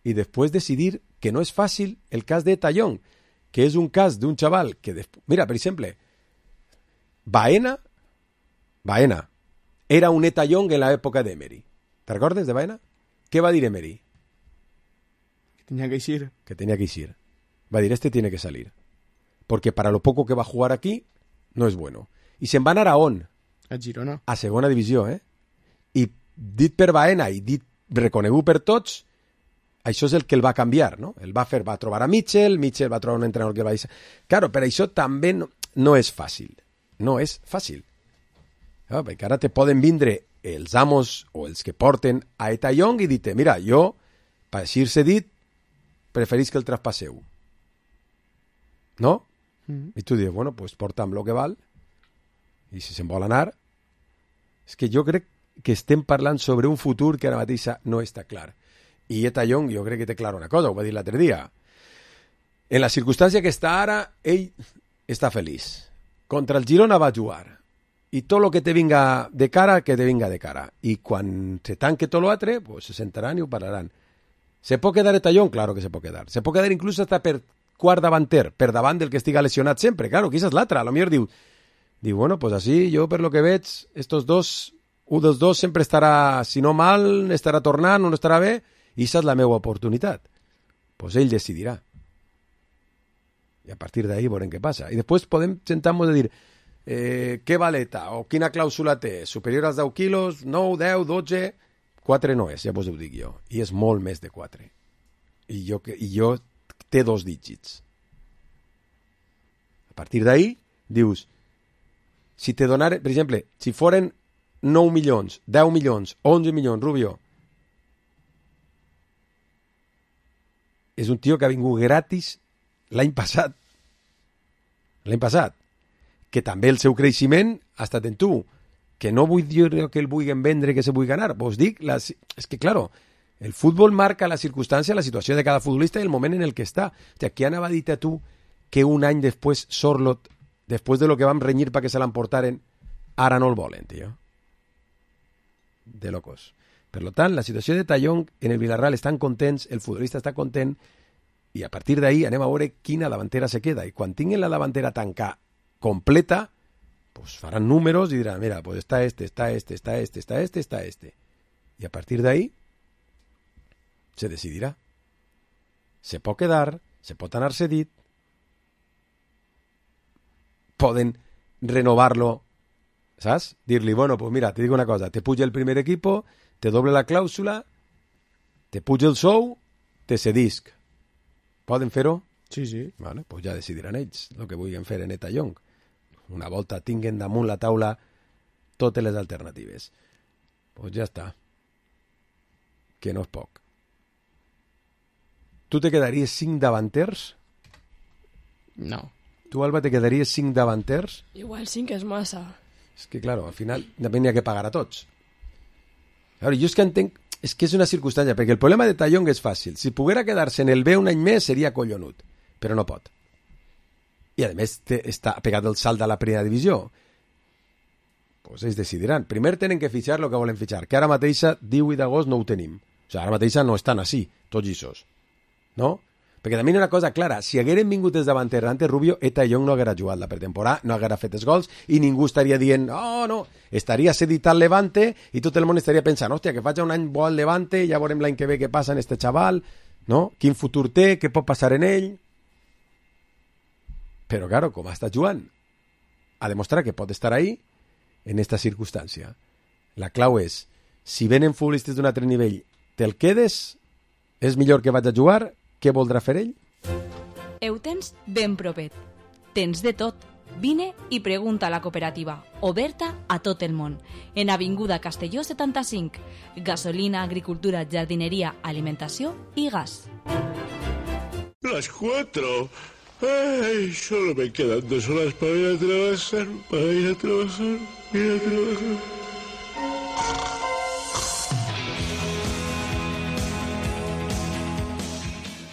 i després decidir que no és fàcil el cas de Tallón, que és un cas d'un xaval que... Mira, per exemple, Baena era un Etallón en l'època d'Emery. ¿Te recordes de Baena? Què va dir Emery? Que tenía que eixir. Que tenía que eixir. Va dir, este tiene que salir. Porque para lo poco que va a jugar aquí, no es bueno. I se'n va anar a on? A Girona. A segona divisió, I dit per Baena i dit reconegut per tots, això és el que el va canviar, no? El va trobar a Mitchell va trobar un entrenador que el va dir... Claro, però això també no és fàcil. No és fàcil. Perquè ara te poden vindre els amos o els que porten a Etallón i dir-te, mira, jo, per així-se dit, preferís que el traspasseu. No? I tu dius, bueno, pues porta'm lo que val, i si se'n vol anar... És que jo crec que estem parlant sobre un futur que ara mateix no està clar. I Eta Young, jo crec que té clar una cosa, ho va dir l'altre dia. En la circumstància que està ara, ell està feliç. Contra el Girona va jugar. I tot el que te vinga de cara, que te vinga de cara. I quan se tanque tot l'altre, pues se sentaran i ho parlaran. ¿Se pot quedar Eta Young? Claro que se pot quedar. Se pot quedar inclús hasta per quart davanter, per davant del que estiga lesionat sempre. Claro, que és l'altra. A lo millor diu, bueno, pues así, jo per lo que veig, estos dos, un dels dos sempre estarà, si no mal, estarà tornant, no estarà bé, i aquesta és la meva oportunitat. Pues ell decidirà. I a partir d'ahí veurem què passa. I després podem sentar-nos a dir què valeta o quina clàusula té, superior als 10 quilos, 9, 10, 12... 4 no és, ja vos ho dic jo. I és molt més de 4. I jo té 2 dígits. A partir d'ahí, dius, si te donaren, per exemple, si foren 9 milions, 10 milions, 11 milions, Rubio, és un tio que ha vingut gratis l'any passat. L'any passat. Que també el seu creixement ha estat en tu. Que no vull dir que el vulguin vendre, que se vulgui ganar. Vos dic, és que, claro, el futbol marca la circumstància, la situació de cada futbolista i el moment en el que està. O sigui, qui anava a dir a tu que un any després Sorlot, després de lo que vam renyir perquè se l'emportaren, ara no el volen, tio? De locos. Per tant, la situació de Tallón en el Villarreal estan contents, el futbolista està content, i a partir d'ahí anem a veure quina davantera se queda. I quan tinguin la davantera tancada completa, pues faran números y dirán, mira, pues está este. Y a partir de ahí se decidirá. Se pot quedar, se pot anar cedit, poden renovarlo, ¿sabes? Dir-li, bueno, pues mira, te digo una cosa, te puja el primer equipo, te doble la clàusula, te puja el sou, te cedisc. Poden fer-ho? Sí. Vale, pues ja decidiran ells el que vulguin fer en Eta Young. Una volta tinguen damunt la taula totes les alternatives. Pues ja està. Que no és poc. Tu te quedaries 5 davanters? No. Tu, Alba, te quedaries 5 davanters? Igual 5 és massa. És que, claro, al final també n'hi ha que pagar a tots. Veure, jo és que entenc... És que és una circumstància, perquè el problema de Tallón és fàcil. Si poguera quedar-se en el B un any més seria collonut, però no pot. I, a més, està pegat el salt de la primera divisió. Pues ells decidiran. Primer tenen que fitxar el que volen fitxar, que ara mateixa, 18 d'agost, no ho tenim. O sigui, ara mateixa no estan així, tots lliços. No? Perquè també hi ha una cosa clara. Si hagueren vingut els davanters antes, Rubio, Eta Young no haguera jugat la pretemporada, no haguera fet els gols, i ningú estaria dient, oh, no, estaria cedit al Levante, i tot el món estaria pensant, hòstia, que faig un any bo al Levante, ja veurem l'any que ve què passa en este xaval, no? Quin futur té, què pot passar en ell... Però, claro, com està jugant, ha demostrat que pot estar ahí en esta circumstància. La clau és, si venen futbolistes d'un altre nivell, te'l quedes? És millor que vaig a jugar? Què voldrà fer ell? Ho tens ben propet. Tens de tot. Vine i pregunta a la cooperativa, oberta a tot el món. En Avinguda Castelló 75. Gasolina, agricultura, jardineria, alimentació i gas. Las 4... Ay, solo me quedan 2 horas para ir a trabajar,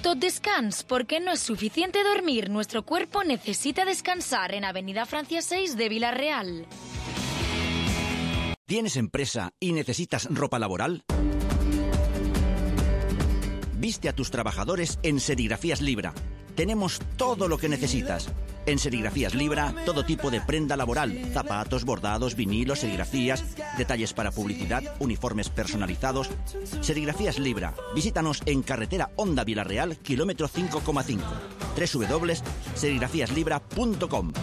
Tot descans, porque no es suficiente dormir. Nuestro cuerpo necesita descansar en Avenida Francia 6 de Villarreal. ¿Tienes empresa y necesitas ropa laboral? Viste a tus trabajadores en Serigrafías Libra. Tenemos todo lo que necesitas. En Serigrafías Libra, todo tipo de prenda laboral, zapatos, bordados, vinilos, serigrafías, detalles para publicidad, uniformes personalizados. Serigrafías Libra. Visítanos en carretera Honda Villarreal, kilómetro 5,5. www.serigrafiaslibra.com.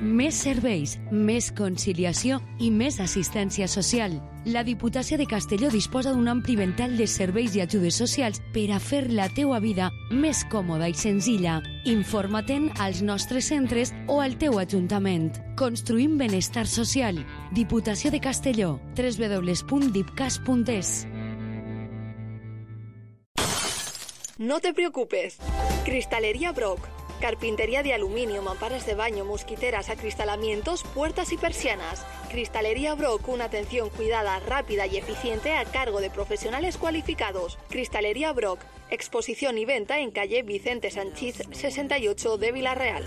Més serveis, més conciliació i més assistència social. La Diputació de Castelló disposa d'un ampli ventall de serveis i ajudes socials per a fer la teua vida més còmoda i senzilla. Informa-te'n als nostres centres o al teu ajuntament. Construïm benestar social. Diputació de Castelló. www.dipcas.es. No te preocupes. Cristalería Brock. Carpintería de aluminio, mamparas de baño, mosquiteras, acristalamientos, puertas y persianas. Cristalería Brock, una atención cuidada, rápida y eficiente a cargo de profesionales cualificados. Cristalería Brock, exposición y venta en calle Vicente Sanchís 68 de Villarreal.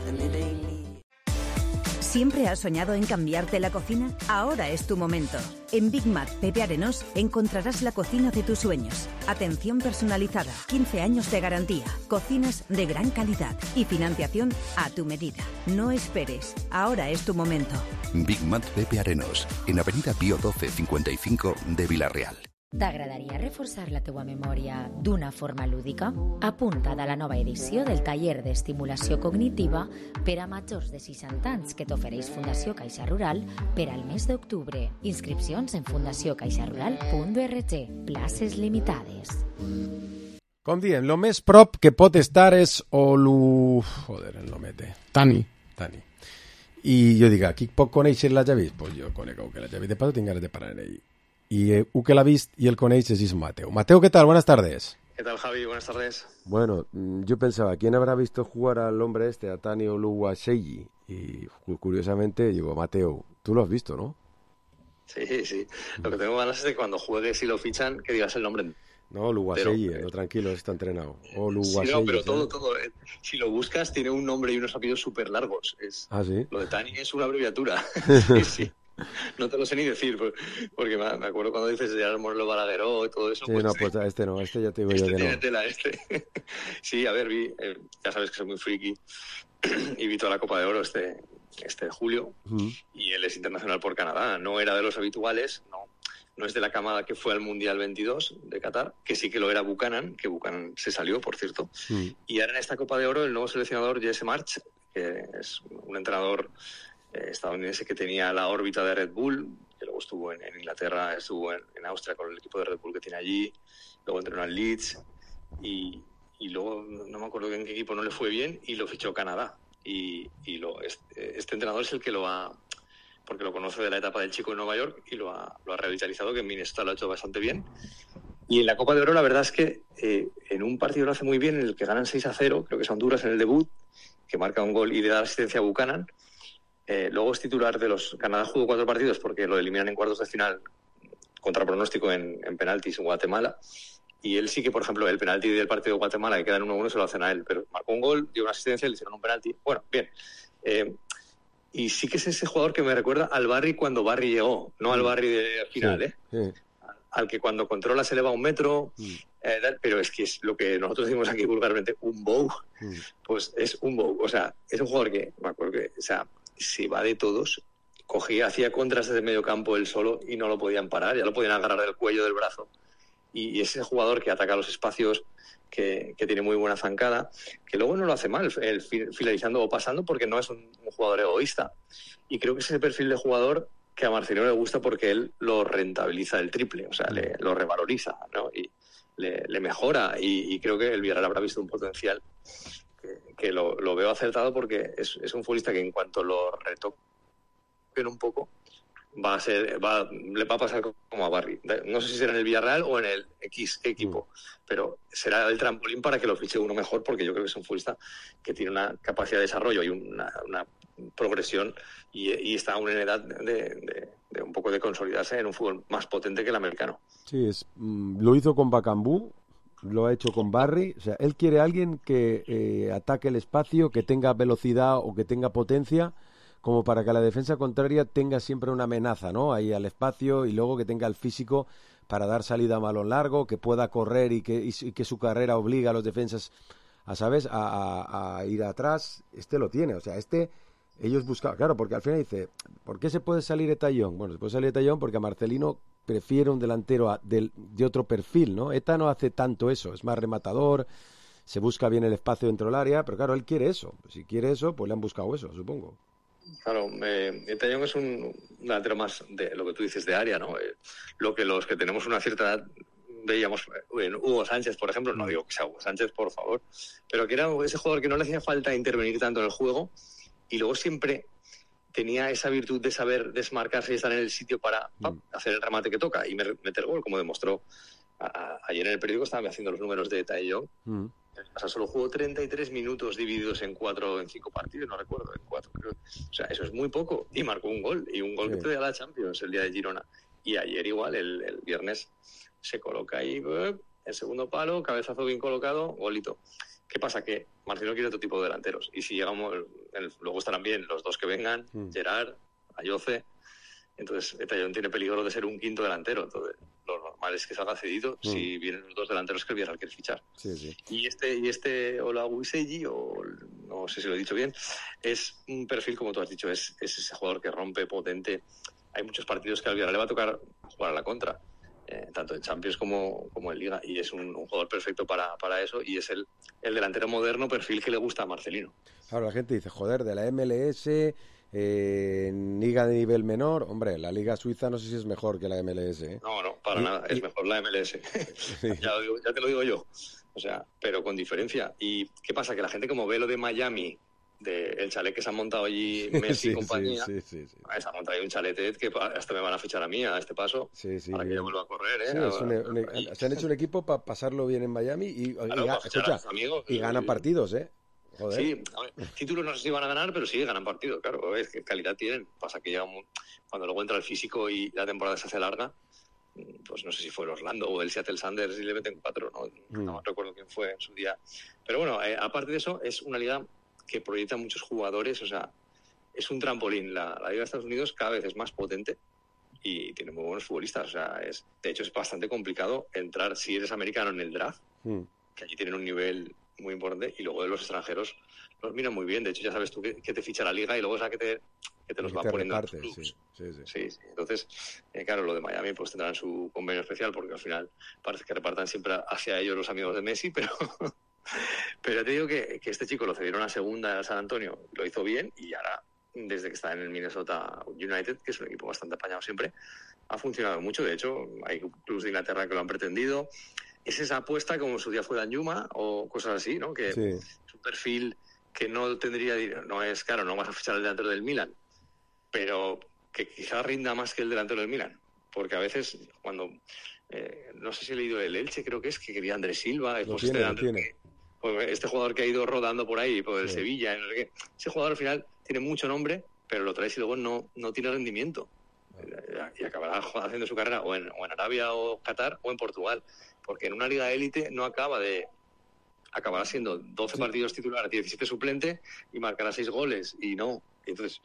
¿Siempre has soñado en cambiarte la cocina? Ahora es tu momento. En Big Mat Pepe Arenós encontrarás la cocina de tus sueños. Atención personalizada, 15 años de garantía, cocinas de gran calidad y financiación a tu medida. No esperes, ahora es tu momento. Big Mat Pepe Arenós, en Avenida Pío 12 55 de Villarreal. T'agradaria reforçar la teua memòria d'una forma lúdica? Apunta't a la nova edició del taller d'estimulació cognitiva per a majors de 60 anys que t'ofereix Fundació Caixa Rural per al mes d'octubre. Inscripcions en fundaciocaixarural.org. Places limitades. Com diem, lo més prop que pot estar és Olu... Joder, el nomete. Tani. I jo dic, qui pot conèixer la Javis? Pues jo conec que la Javis. De paso tinc ganes de parar en ell. Y que la vist y el coneix es Mateo. Mateo, ¿qué tal? Buenas tardes. ¿Qué tal, Javi? Buenas tardes. Bueno, yo pensaba, ¿quién habrá visto jugar al hombre este, a Tani Oluwaseyi? Y curiosamente digo, Mateo, tú lo has visto, ¿no? Sí. Lo que tengo ganas es de que cuando juegues y lo fichan, que digas el nombre. No, Oluwaseyi, no, tranquilo, está entrenado. Oluwaseyi. Sí, no, pero todo. Si lo buscas, tiene un nombre y unos apellidos súper largos. ¿Ah, sí? Lo de Tani es una abreviatura. Sí. No te lo sé ni decir, porque me acuerdo cuando dices Gerard Morelo Balagueró y todo eso. Sí, pues no, pues este no, este ya te digo yo que tiene no. Tela, Sí, a ver, ya sabes que soy muy friki y vi toda la Copa de Oro este de julio y él es internacional por Canadá. No era de los habituales, no es de la camada que fue al Mundial 22 de Qatar, que sí que lo era Buchanan, que Buchanan se salió, por cierto. Y ahora en esta Copa de Oro el nuevo seleccionador Jesse March, que es un entrenador estadounidense que tenía la órbita de Red Bull, que luego estuvo en Inglaterra, estuvo en Austria con el equipo de Red Bull que tiene allí, luego entrenó al Leeds y luego no me acuerdo en qué equipo no le fue bien y lo fichó Canadá este entrenador es el que lo ha, porque lo conoce de la etapa del chico en Nueva York y lo ha revitalizado, que en Minnesota lo ha hecho bastante bien. Y en la Copa de Oro la verdad es que en un partido lo hace muy bien, en el que ganan 6-0, creo que es Honduras en el debut, que marca un gol y le da la asistencia a Buchanan. Luego es titular de los... Canadá jugó 4 partidos porque lo eliminan en cuartos de final contra pronóstico en penaltis en Guatemala. Y él sí que, por ejemplo, el penalti del partido de Guatemala, que queda en 1-1, se lo hacen a él. Pero marcó un gol, dio una asistencia, le hicieron un penalti. Bueno, bien. Y sí que es ese jugador que me recuerda al Barry cuando Barry llegó. No al Barry de final, sí. Al que cuando controla se eleva 1 metro. Pero es que es lo que nosotros decimos aquí vulgarmente, un bow. Pues es un bow. O sea, es un jugador que, me acuerdo que... O sea, se va de todos, hacía contras desde medio campo él solo y no lo podían parar, ya lo podían agarrar del cuello, del brazo. Y ese jugador que ataca los espacios, que tiene muy buena zancada, que luego no lo hace mal, finalizando o pasando, porque no es un jugador egoísta. Y creo que es ese perfil de jugador que a Marcelino le gusta porque él lo rentabiliza el triple, o sea, lo revaloriza, ¿no? Y le mejora. Y creo que el Villarreal habrá visto un potencial que lo veo acertado, porque es un futbolista que en cuanto lo retoquen un poco le va a pasar como a Barry. No sé si será en el Villarreal o en el X equipo, pero será el trampolín para que lo fiche uno mejor, porque yo creo que es un futbolista que tiene una capacidad de desarrollo y una progresión y está aún en edad de un poco de consolidarse en un fútbol más potente que el americano. Sí, lo hizo con Bacambú, lo ha hecho con Barry. O sea, él quiere a alguien que ataque el espacio, que tenga velocidad o que tenga potencia, como para que la defensa contraria tenga siempre una amenaza, ¿no? Ahí al espacio, y luego que tenga el físico para dar salida a balón largo, que pueda correr y que su carrera obliga a los defensas a ir atrás. Lo tiene, o sea, ellos buscaban, claro, porque al final dice, ¿por qué se puede salir Etayón? Bueno, se puede salir Etayón porque a Marcelino prefiere un delantero de otro perfil, ¿no? Eta no hace tanto eso, es más rematador, se busca bien el espacio dentro del área, pero claro, él quiere eso. Si quiere eso, pues le han buscado eso, supongo. Claro, Etayón es un delantero más de lo que tú dices de área, ¿no? Lo que los que tenemos una cierta edad veíamos en Hugo Sánchez, por ejemplo, no digo que sea Hugo Sánchez, por favor, pero que era ese jugador que no le hacía falta intervenir tanto en el juego y luego siempre tenía esa virtud de saber desmarcarse y estar en el sitio para hacer el remate que toca y meter gol, como demostró ayer en el periódico. Estaban haciendo los números de Etayón. O sea, solo jugó 33 minutos divididos en 5 partidos, no recuerdo, en 4 creo. O sea, eso es muy poco. Y marcó un gol que te da la Champions el día de Girona. Y ayer igual, el viernes, se coloca ahí, el segundo palo, cabezazo bien colocado, golito. ¿Qué pasa? Que Marcelino quiere otro tipo de delanteros. Y si llegamos, luego estarán bien los dos que vengan, Gerard, Ayoce. Entonces, Tallón tiene peligro de ser un quinto delantero. Entonces, lo normal es que salga cedido si vienen los dos delanteros que el Villarreal quiere fichar. Sí. Y este Olajuwon, o no sé si lo he dicho bien, es un perfil, como tú has dicho, es ese jugador que rompe, potente. Hay muchos partidos que al Villarreal le va a tocar jugar a la contra, tanto en Champions como en Liga, y es un jugador perfecto para eso, y es el delantero moderno perfil que le gusta a Marcelino. Ahora la gente dice, joder, de la MLS... liga de nivel menor, hombre, la liga suiza no sé si es mejor que la MLS, ¿eh? No, para nada, es mejor la MLS. ya te lo digo yo, o sea, pero con diferencia. ¿Y qué pasa? Que la gente, como ve lo de Miami, el chalet que se han montado allí Messi y compañía, se ha montado ahí un chalet que hasta me van a fichar a mí a este paso, para que yo vuelva a correr, se han hecho un equipo para pasarlo bien en Miami y ganan partidos, Joder. Sí, a ver, títulos no sé si van a ganar, pero sí ganan partidos, claro. Es que calidad tienen. Pasa que cuando luego entra el físico y la temporada se hace larga, pues no sé si fue el Orlando o el Seattle Sounders y le meten 4, no recuerdo quién fue en su día. Pero bueno, aparte de eso, es una liga que proyecta muchos jugadores, o sea, es un trampolín. La liga de Estados Unidos cada vez es más potente y tiene muy buenos futbolistas. O sea, de hecho es bastante complicado entrar, si eres americano, en el draft, que allí tienen un nivel muy importante, y luego de los extranjeros los miran muy bien. De hecho, ya sabes tú que te ficha la liga y luego es que te los va poniendo en los clubs. Sí. Entonces, claro, lo de Miami pues tendrán su convenio especial, porque al final parece que repartan siempre hacia ellos los amigos de Messi, pero ya te digo que este chico lo cedieron a segunda a San Antonio, lo hizo bien, y ahora, desde que está en el Minnesota United, que es un equipo bastante apañado siempre, ha funcionado mucho. De hecho, hay clubes de Inglaterra que lo han pretendido. Es esa apuesta como en su día fue Danjuma o cosas así, ¿no? Que es un perfil que no tendría, no es claro, no vas a fichar al delantero del Milan, pero que quizás rinda más que el delantero del Milan, porque a veces cuando no sé si he leído el Elche, creo que quería Andrés Silva, este jugador que ha ido rodando por ahí, por el Sevilla, ese jugador al final tiene mucho nombre, pero lo traes y luego no tiene rendimiento, y acabará haciendo su carrera o en Arabia o Qatar o en Portugal, porque en una liga de élite no acabará siendo 12 partidos titulares, 17 suplente, y marcará 6 goles, y no. Entonces,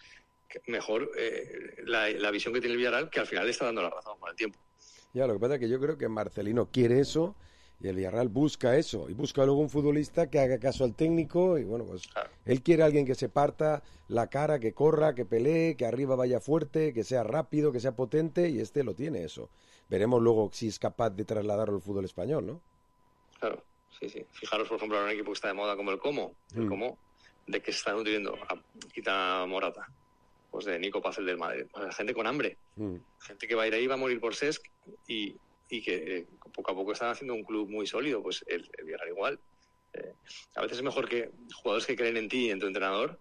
mejor la visión que tiene el Villarreal, que al final le está dando la razón con el tiempo. Ya, lo que pasa es que yo creo que Marcelino quiere eso, y el Villarreal busca eso, y busca luego un futbolista que haga caso al técnico, y bueno, pues él quiere a alguien que se parta la cara, que corra, que pelee, que arriba vaya fuerte, que sea rápido, que sea potente, y este lo tiene eso. Veremos luego si es capaz de trasladarlo al fútbol español, ¿no? Claro, sí. Fijaros, por ejemplo, en un equipo que está de moda como el Como, de que se está nutriendo, quita Morata, pues de Nico Paz, el del Madrid, pues gente con hambre, gente que va a ir ahí, va a morir por Cesc, y que poco a poco están haciendo un club muy sólido, pues el Villarreal igual. A veces es mejor que jugadores que creen en ti y en tu entrenador,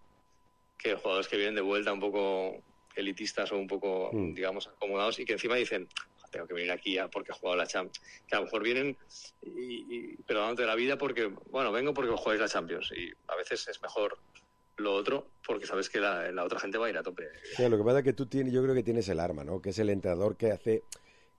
que jugadores que vienen de vuelta un poco elitistas o un poco, digamos, acomodados, y que encima dicen, tengo que venir aquí porque he jugado la Champions. Que a lo mejor vienen perdonándote la vida porque, bueno, vengo porque jugáis la Champions. Y a veces es mejor lo otro porque sabes que la otra gente va a ir a tope. Sí, lo que pasa es que yo creo que tienes el arma, ¿no? Que es el entrenador que hace...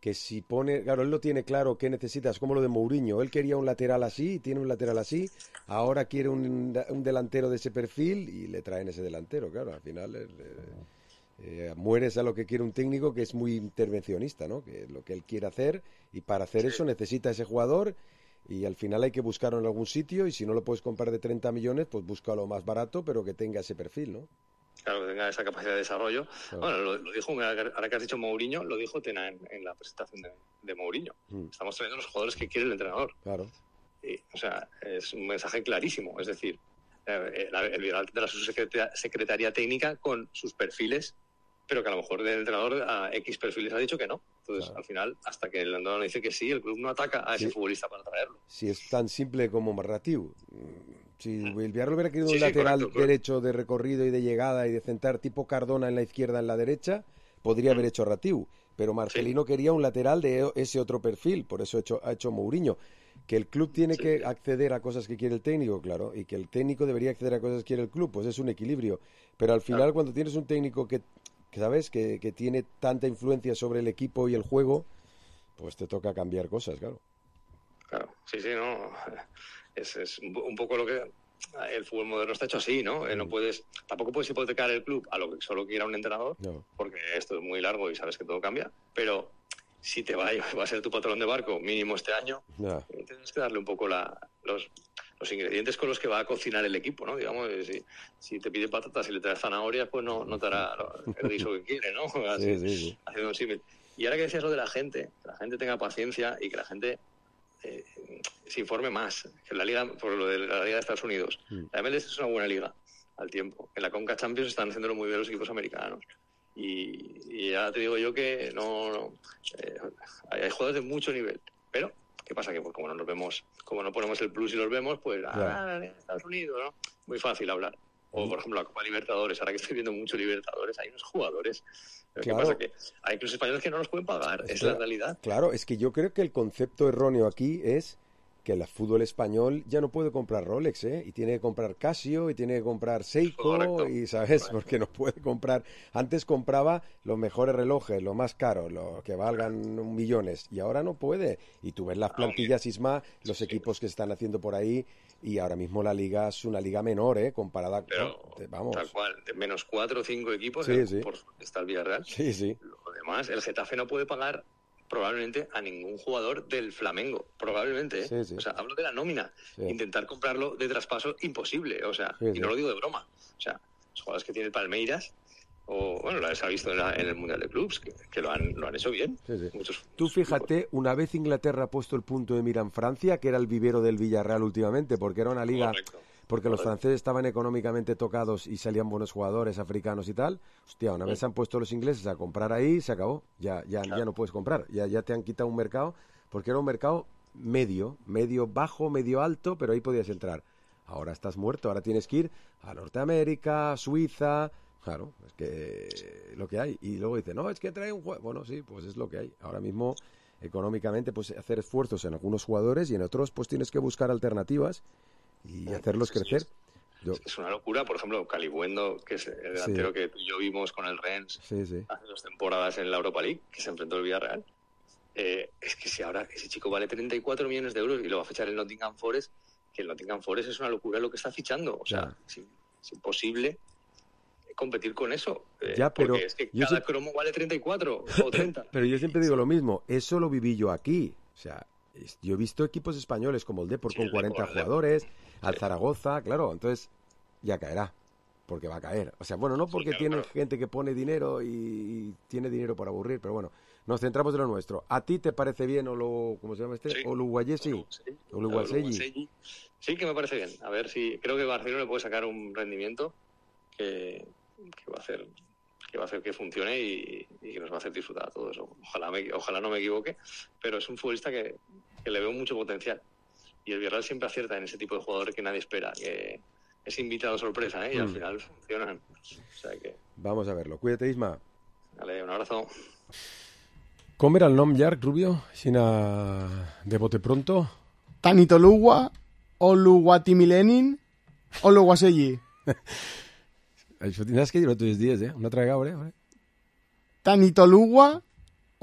que si pone... Claro, él lo tiene claro qué necesitas, como lo de Mourinho. Él quería un lateral así, tiene un lateral así, ahora quiere un delantero de ese perfil y le traen ese delantero. Claro, al final... mueres a lo que quiere un técnico que es muy intervencionista, ¿no? Que es lo que él quiere hacer, y para hacer eso necesita ese jugador, y al final hay que buscarlo en algún sitio, y si no lo puedes comprar de 30 millones, pues búscalo más barato, pero que tenga ese perfil, ¿no? Claro, que tenga esa capacidad de desarrollo. Claro. Bueno, lo dijo, ahora que has dicho Mourinho, lo dijo Tena en la presentación de Mourinho. Estamos trayendo los jugadores que quiere el entrenador. Claro. O sea, es un mensaje clarísimo, es decir, el Villarreal tendrá su secretaría técnica con sus perfiles, pero que a lo mejor el entrenador a X perfiles ha dicho que no. Entonces, al final, hasta que el entrenador dice que sí, el club no ataca a ese futbolista para traerlo. Si es tan simple como Marratiu. Si el Villarreal hubiera querido un lateral derecho de recorrido y de llegada y de centrar tipo Cardona en la izquierda, en la derecha, podría haber hecho Ratiu. Pero Marcelino quería un lateral de ese otro perfil, por eso ha hecho Mourinho. Que el club tiene que acceder a cosas que quiere el técnico, claro, y que el técnico debería acceder a cosas que quiere el club, pues es un equilibrio. Pero al final, cuando tienes un técnico que ¿sabes? Que tiene tanta influencia sobre el equipo y el juego, pues te toca cambiar cosas, claro. Claro, sí, no. Es un poco lo que... El fútbol moderno está hecho así, ¿no? Tampoco puedes hipotecar el club a lo que solo quiera un entrenador, porque esto es muy largo y sabes que todo cambia, pero si te va a ser tu patrón de barco mínimo este año, tienes que darle un poco los ingredientes con los que va a cocinar el equipo, ¿no? Digamos, si te pide patatas y le traes zanahorias, pues no te hará el guiso que quiere, ¿no? Así, sí. Haciendo un símil. Y ahora que decías lo de la gente, que la gente tenga paciencia y que la gente se informe más. Que la liga, por lo de la liga de Estados Unidos, la MLS es una buena liga al tiempo. En la Conca Champions están haciéndolo muy bien los equipos americanos. Y ya te digo yo que hay jugadores de mucho nivel, pero ¿qué pasa? Que pues, como no ponemos el plus y los vemos, pues Estados Unidos, ¿no? Muy fácil hablar. O por ejemplo la Copa Libertadores, ahora que estoy viendo mucho Libertadores, hay unos jugadores. Pero ¿qué pasa? Que hay clubes españoles que no los pueden pagar, es la realidad. Claro, es que yo creo que el concepto erróneo aquí es que el fútbol español ya no puede comprar Rolex, y tiene que comprar Casio, y tiene que comprar Seiko, y ¿sabes? Porque no puede comprar. Antes compraba los mejores relojes, los más caros, los que valgan millones, y ahora no puede. Y tú ves las plantillas, Isma, los equipos que están haciendo por ahí, y ahora mismo la liga es una liga menor, comparada con... Vamos. Tal cual, de menos 4 o 5 equipos, por está el Villarreal. Sí. Lo demás, el Getafe no puede pagar probablemente a ningún jugador del Flamengo, probablemente, Sí. O sea, hablo de la nómina. Intentar comprarlo de traspaso, imposible, o sea, y no lo digo de broma. O sea, los jugadores que tiene el Palmeiras, o bueno, lo ha visto en el Mundial de Clubs, que lo han hecho bien. Muchos. Tú fíjate, una vez Inglaterra ha puesto el punto de mira en Francia, que era el vivero del Villarreal últimamente, porque era una liga... Porque los franceses estaban económicamente tocados y salían buenos jugadores africanos y tal. Hostia, una vez se han puesto los ingleses a comprar ahí, se acabó. Ya no puedes comprar. Ya te han quitado un mercado, porque era un mercado medio bajo, medio alto, pero ahí podías entrar. Ahora estás muerto, ahora tienes que ir a Norteamérica, Suiza... Claro, es que lo que hay. Y luego dice, no, es que trae un juego. Bueno, sí, pues es lo que hay. Ahora mismo, económicamente, pues hacer esfuerzos en algunos jugadores y en otros, pues tienes que buscar alternativas y hacerlos crecer. Es una locura, por ejemplo, Calibuendo, que es el delantero que tú y yo vimos con el Rennes hace 2 temporadas en la Europa League, que se enfrentó al Villarreal. Es que si ahora ese chico vale 34 millones de euros y lo va a fichar el Nottingham Forest, que el Nottingham Forest es una locura lo que está fichando. O sea, es imposible competir con eso. Pero es que cada cromo vale 34 o 30. Pero yo siempre digo lo mismo, eso lo viví yo aquí. O sea, yo he visto equipos españoles como el Depor con 40 jugadores, al Zaragoza, claro, entonces ya caerá, porque va a caer. O sea, bueno, no porque tiene gente que pone dinero y tiene dinero para aburrir, pero bueno, nos centramos en lo nuestro. ¿A ti te parece bien ¿cómo se llama este? Oluwayesi. Sí, que me parece bien. A ver si creo que Barcelona le puede sacar un rendimiento que va a hacer que funcione y que nos va a hacer disfrutar a todos. Ojalá no me equivoque, pero es un futbolista que le veo mucho potencial. Y el Villarreal siempre acierta en ese tipo de jugadores que nadie espera, que es invitado sorpresa, y al final funcionan. O sea que... Vamos a verlo. Cuídate, Isma. Vale, un abrazo. Com era el nom llarg, Rubio? Aixina de bote pronto? Tanitoluwa, Oluwatimilenin, Oluwaseyi. Això tindràs que dir-ho tots els dies, una altra vegada, Tanitoluwa,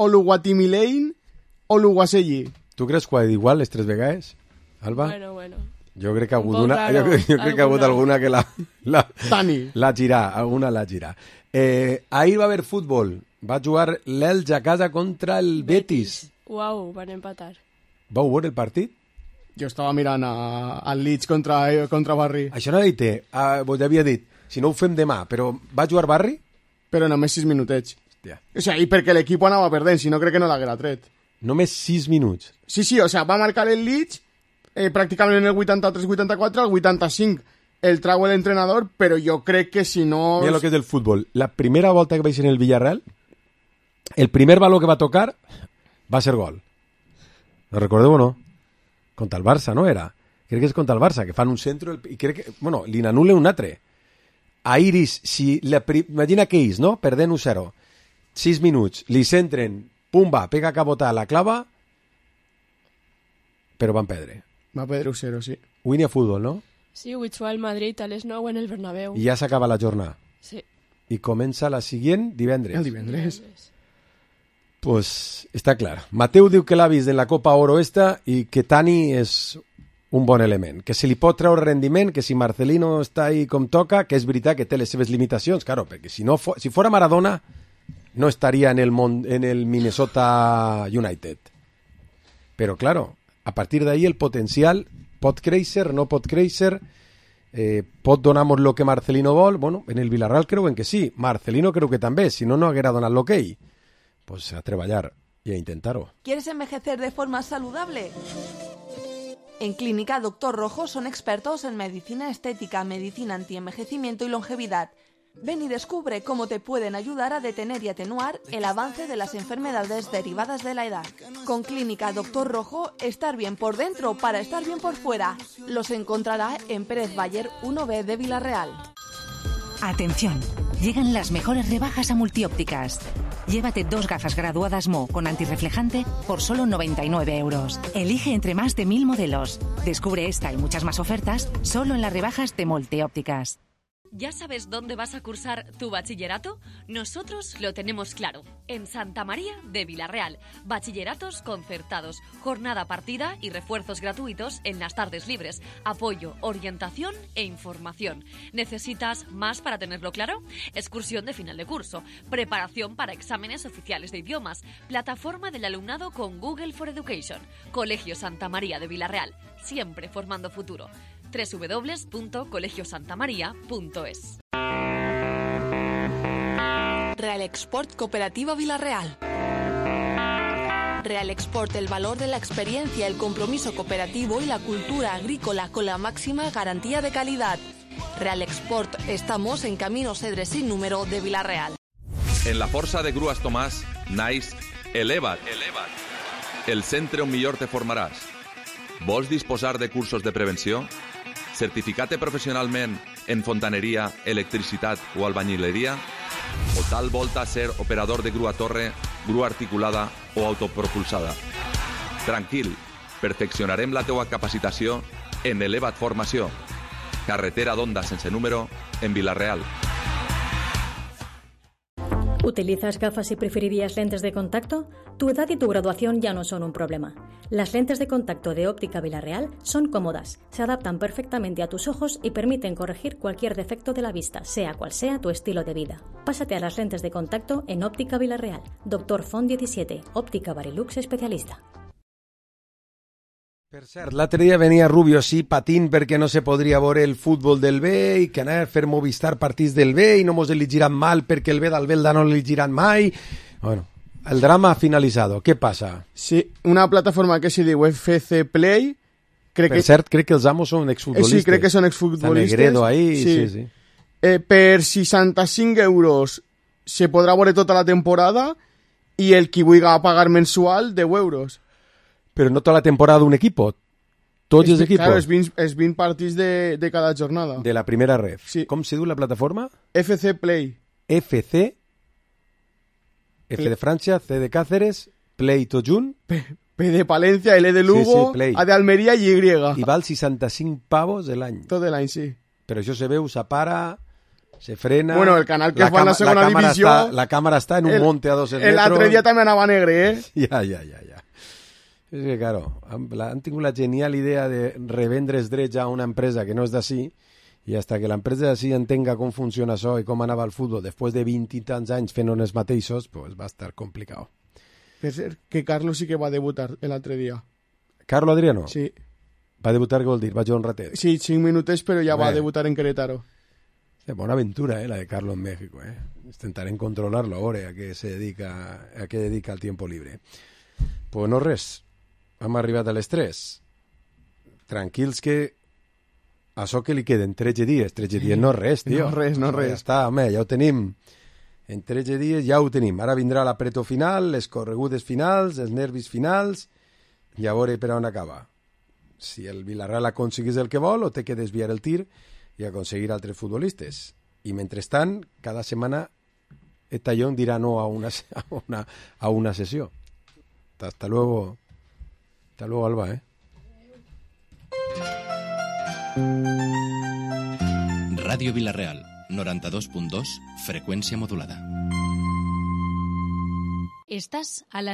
Oluwatimilein, Oluwaseyi. Tu creus que ho ha dit igual les 3 vegades, Alba? Bueno. Jo crec que ha hagut una... Jo crec que ha hagut alguna que l'ha girat, alguna l'ha girat. Ahir va haver futbol. Va jugar l'Elx a casa contra el Betis. Uau, van empatar. Vau veure el partit? Jo estava mirant el Leeds contra Barri. Això no ha dit, vos havia dit, si no ho fem demà, però va jugar Barri? Però només 6 minutets. Hòstia. O sigui, i perquè l'equip anava perdent, si no crec que no l'haguera tret. Només 6 minuts? Sí, o sigui, va marcar el Leeds pràcticament en el 83-84, el 85 el trau l'entrenador, però jo crec que si no... Mira lo que és del futbol. La primera volta que vaig en el Villarreal, el primer baló que va tocar va ser gol. ¿Lo recordeu o no? Contra el Barça, no era? Crec que és contra el Barça, que fan un centre i crec que... Bueno, li n'anul·len un altre. A Iris, imagina que ells, no? Perdent 1-0. 6 minuts, li centren, pumba, pega cabota, la clava... però van perdre. Va perdre 0, sí. Avui n'hi ha futbol, no? Sí, avui juga el Madrid a les 9 en el Bernabéu. I ja s'acaba la jornada. Sí. I comença la següent divendres. El divendres. Pues està clar. Mateu diu que l'ha vist en la Copa Oro esta i que Tani és un bon element, que se li pot treure rendiment, que si Marcelino està ahí com toca, que és veritat que té les seves limitacions, claro, perquè si fora Maradona no estaria en el Minnesota United. Però claro, a partir d'ahí el potencial pot créixer, no pot créixer, pot donar-nos lo que Marcelino vol. Bueno, en el Villarreal creuen que sí, Marcelino creu que també, si no, no haguera donat l'okey. Pues a treballar y a intentar-ho. ¿Quieres envejecer de forma saludable? En Clínica Doctor Rojo son expertos en medicina estética, medicina antienvejecimiento y longevidad. Ven y descubre cómo te pueden ayudar a detener y atenuar el avance de las enfermedades derivadas de la edad. Con Clínica Doctor Rojo, estar bien por dentro para estar bien por fuera. Los encontrará en Pérez Bayer 1B de Villarreal. Atención, llegan las mejores rebajas a Multiópticas. Llévate 2 gafas graduadas Mo con antirreflejante por solo 99 euros. Elige entre más de 1000 modelos. Descubre esta y muchas más ofertas solo en las rebajas de Multiópticas. ¿Ya sabes dónde vas a cursar tu bachillerato? Nosotros lo tenemos claro. En Santa María de Villarreal. Bachilleratos concertados, jornada partida y refuerzos gratuitos en las tardes libres. Apoyo, orientación e información. ¿Necesitas más para tenerlo claro? Excursión de final de curso. Preparación para exámenes oficiales de idiomas. Plataforma del alumnado con Google for Education. Colegio Santa María de Villarreal. Siempre formando futuro. www.colegiosantamaria.es. Real Export Cooperativa Villarreal. Real Export, el valor de la experiencia, el compromiso cooperativo y la cultura agrícola con la máxima garantía de calidad. Real Export, estamos en Camino Cedre sin número de Villarreal. En la Força de Grues Tomàs, naix Eleva't. El centre on millor te formaràs. Vols disposar de cursos de prevenció? Certificat professionalment en fontaneria, electricitat o albañileria? O tal volta ser operador de grua torre, grua articulada o autopropulsada? Tranquil, perfeccionarem la teua capacitació en Eleva't Formació. Carretera d'Onda sense número en Villarreal. ¿Utilizas gafas y preferirías lentes de contacto? Tu edad y tu graduación ya no son un problema. Las lentes de contacto de Óptica Villarreal son cómodas, se adaptan perfectamente a tus ojos y permiten corregir cualquier defecto de la vista, sea cual sea tu estilo de vida. Pásate a las lentes de contacto en Óptica Villarreal. Dr. Font 17, Óptica Barilux especialista. Per cert, l'altre dia venia Rubio sí patint perquè no se podria veure el futbol del B i que anar a fer Movistar partits del B i no mos elegiran mal perquè el B del Belda no l'elegiran mai. Bueno, el drama ha finalizado. ¿Qué pasa? Sí, una plataforma que se diu FC Play. Per cert, crec que els amos són exfutbolistes. Sí, crec que són exfutbolistes. Està Negredo ahí, sí. Per 65 euros se podrà veure tota la temporada i el qui vulgui pagar mensual 10 euros. Pero no toda la temporada de un equipo, tots els equipos. Claro, és 20 partits de cada jornada. De la primera ref. Sí. Com se diu la plataforma? FC Play. FC, F de Francia, C de Cáceres, Play tot junt. P de Palencia, L de Lugo, sí, A de Almeria i Y. I val 65 pavos de l'any. Tot l'any, sí. Però això se veu, s'apara, se frena... Bueno, el canal que es va en la segona divisió... La càmera està en un monte a 200 metros... L'altre dia també anava negre, Ja. És que, claro, han tingut la genial idea de revendre els drets a una empresa que no és d'ací i hasta que l'empresa d'ací entenga com funciona això i com anava el futbol després de 20 i tants anys fent els mateixos, pues va estar complicat. Per cert, que Carlos sí que va debutar l'altre dia. ¿Carlos Adriano? Sí. Va debutar, què vol dir? Va jugar un ratet? Sí, 5 minutets, però ja va debutar en Querétaro. Bona aventura, la de Carlos en México, Intentarem controlar-lo ahora, a què dedica el tiempo libre. Pues no res. Hem arribat a les 3. Tranquils que això que li queden 13 dies. 13 dies no res, tio. No res. Ja està, home, ja ho tenim. En 13 dies ja ho tenim. Ara vindrà l'apretó final, les corregudes finals, els nervis finals, i a veure per on acaba. Si el Villarreal aconseguís el que vol, o té que desviar el tir i aconseguir altres futbolistes. I mentrestant, cada setmana el Tallón dirà no a una sessió. Hasta luego. Hasta luego, Alba, Ràdio Vila-real, 92.2, freqüència modulada. Estàs a la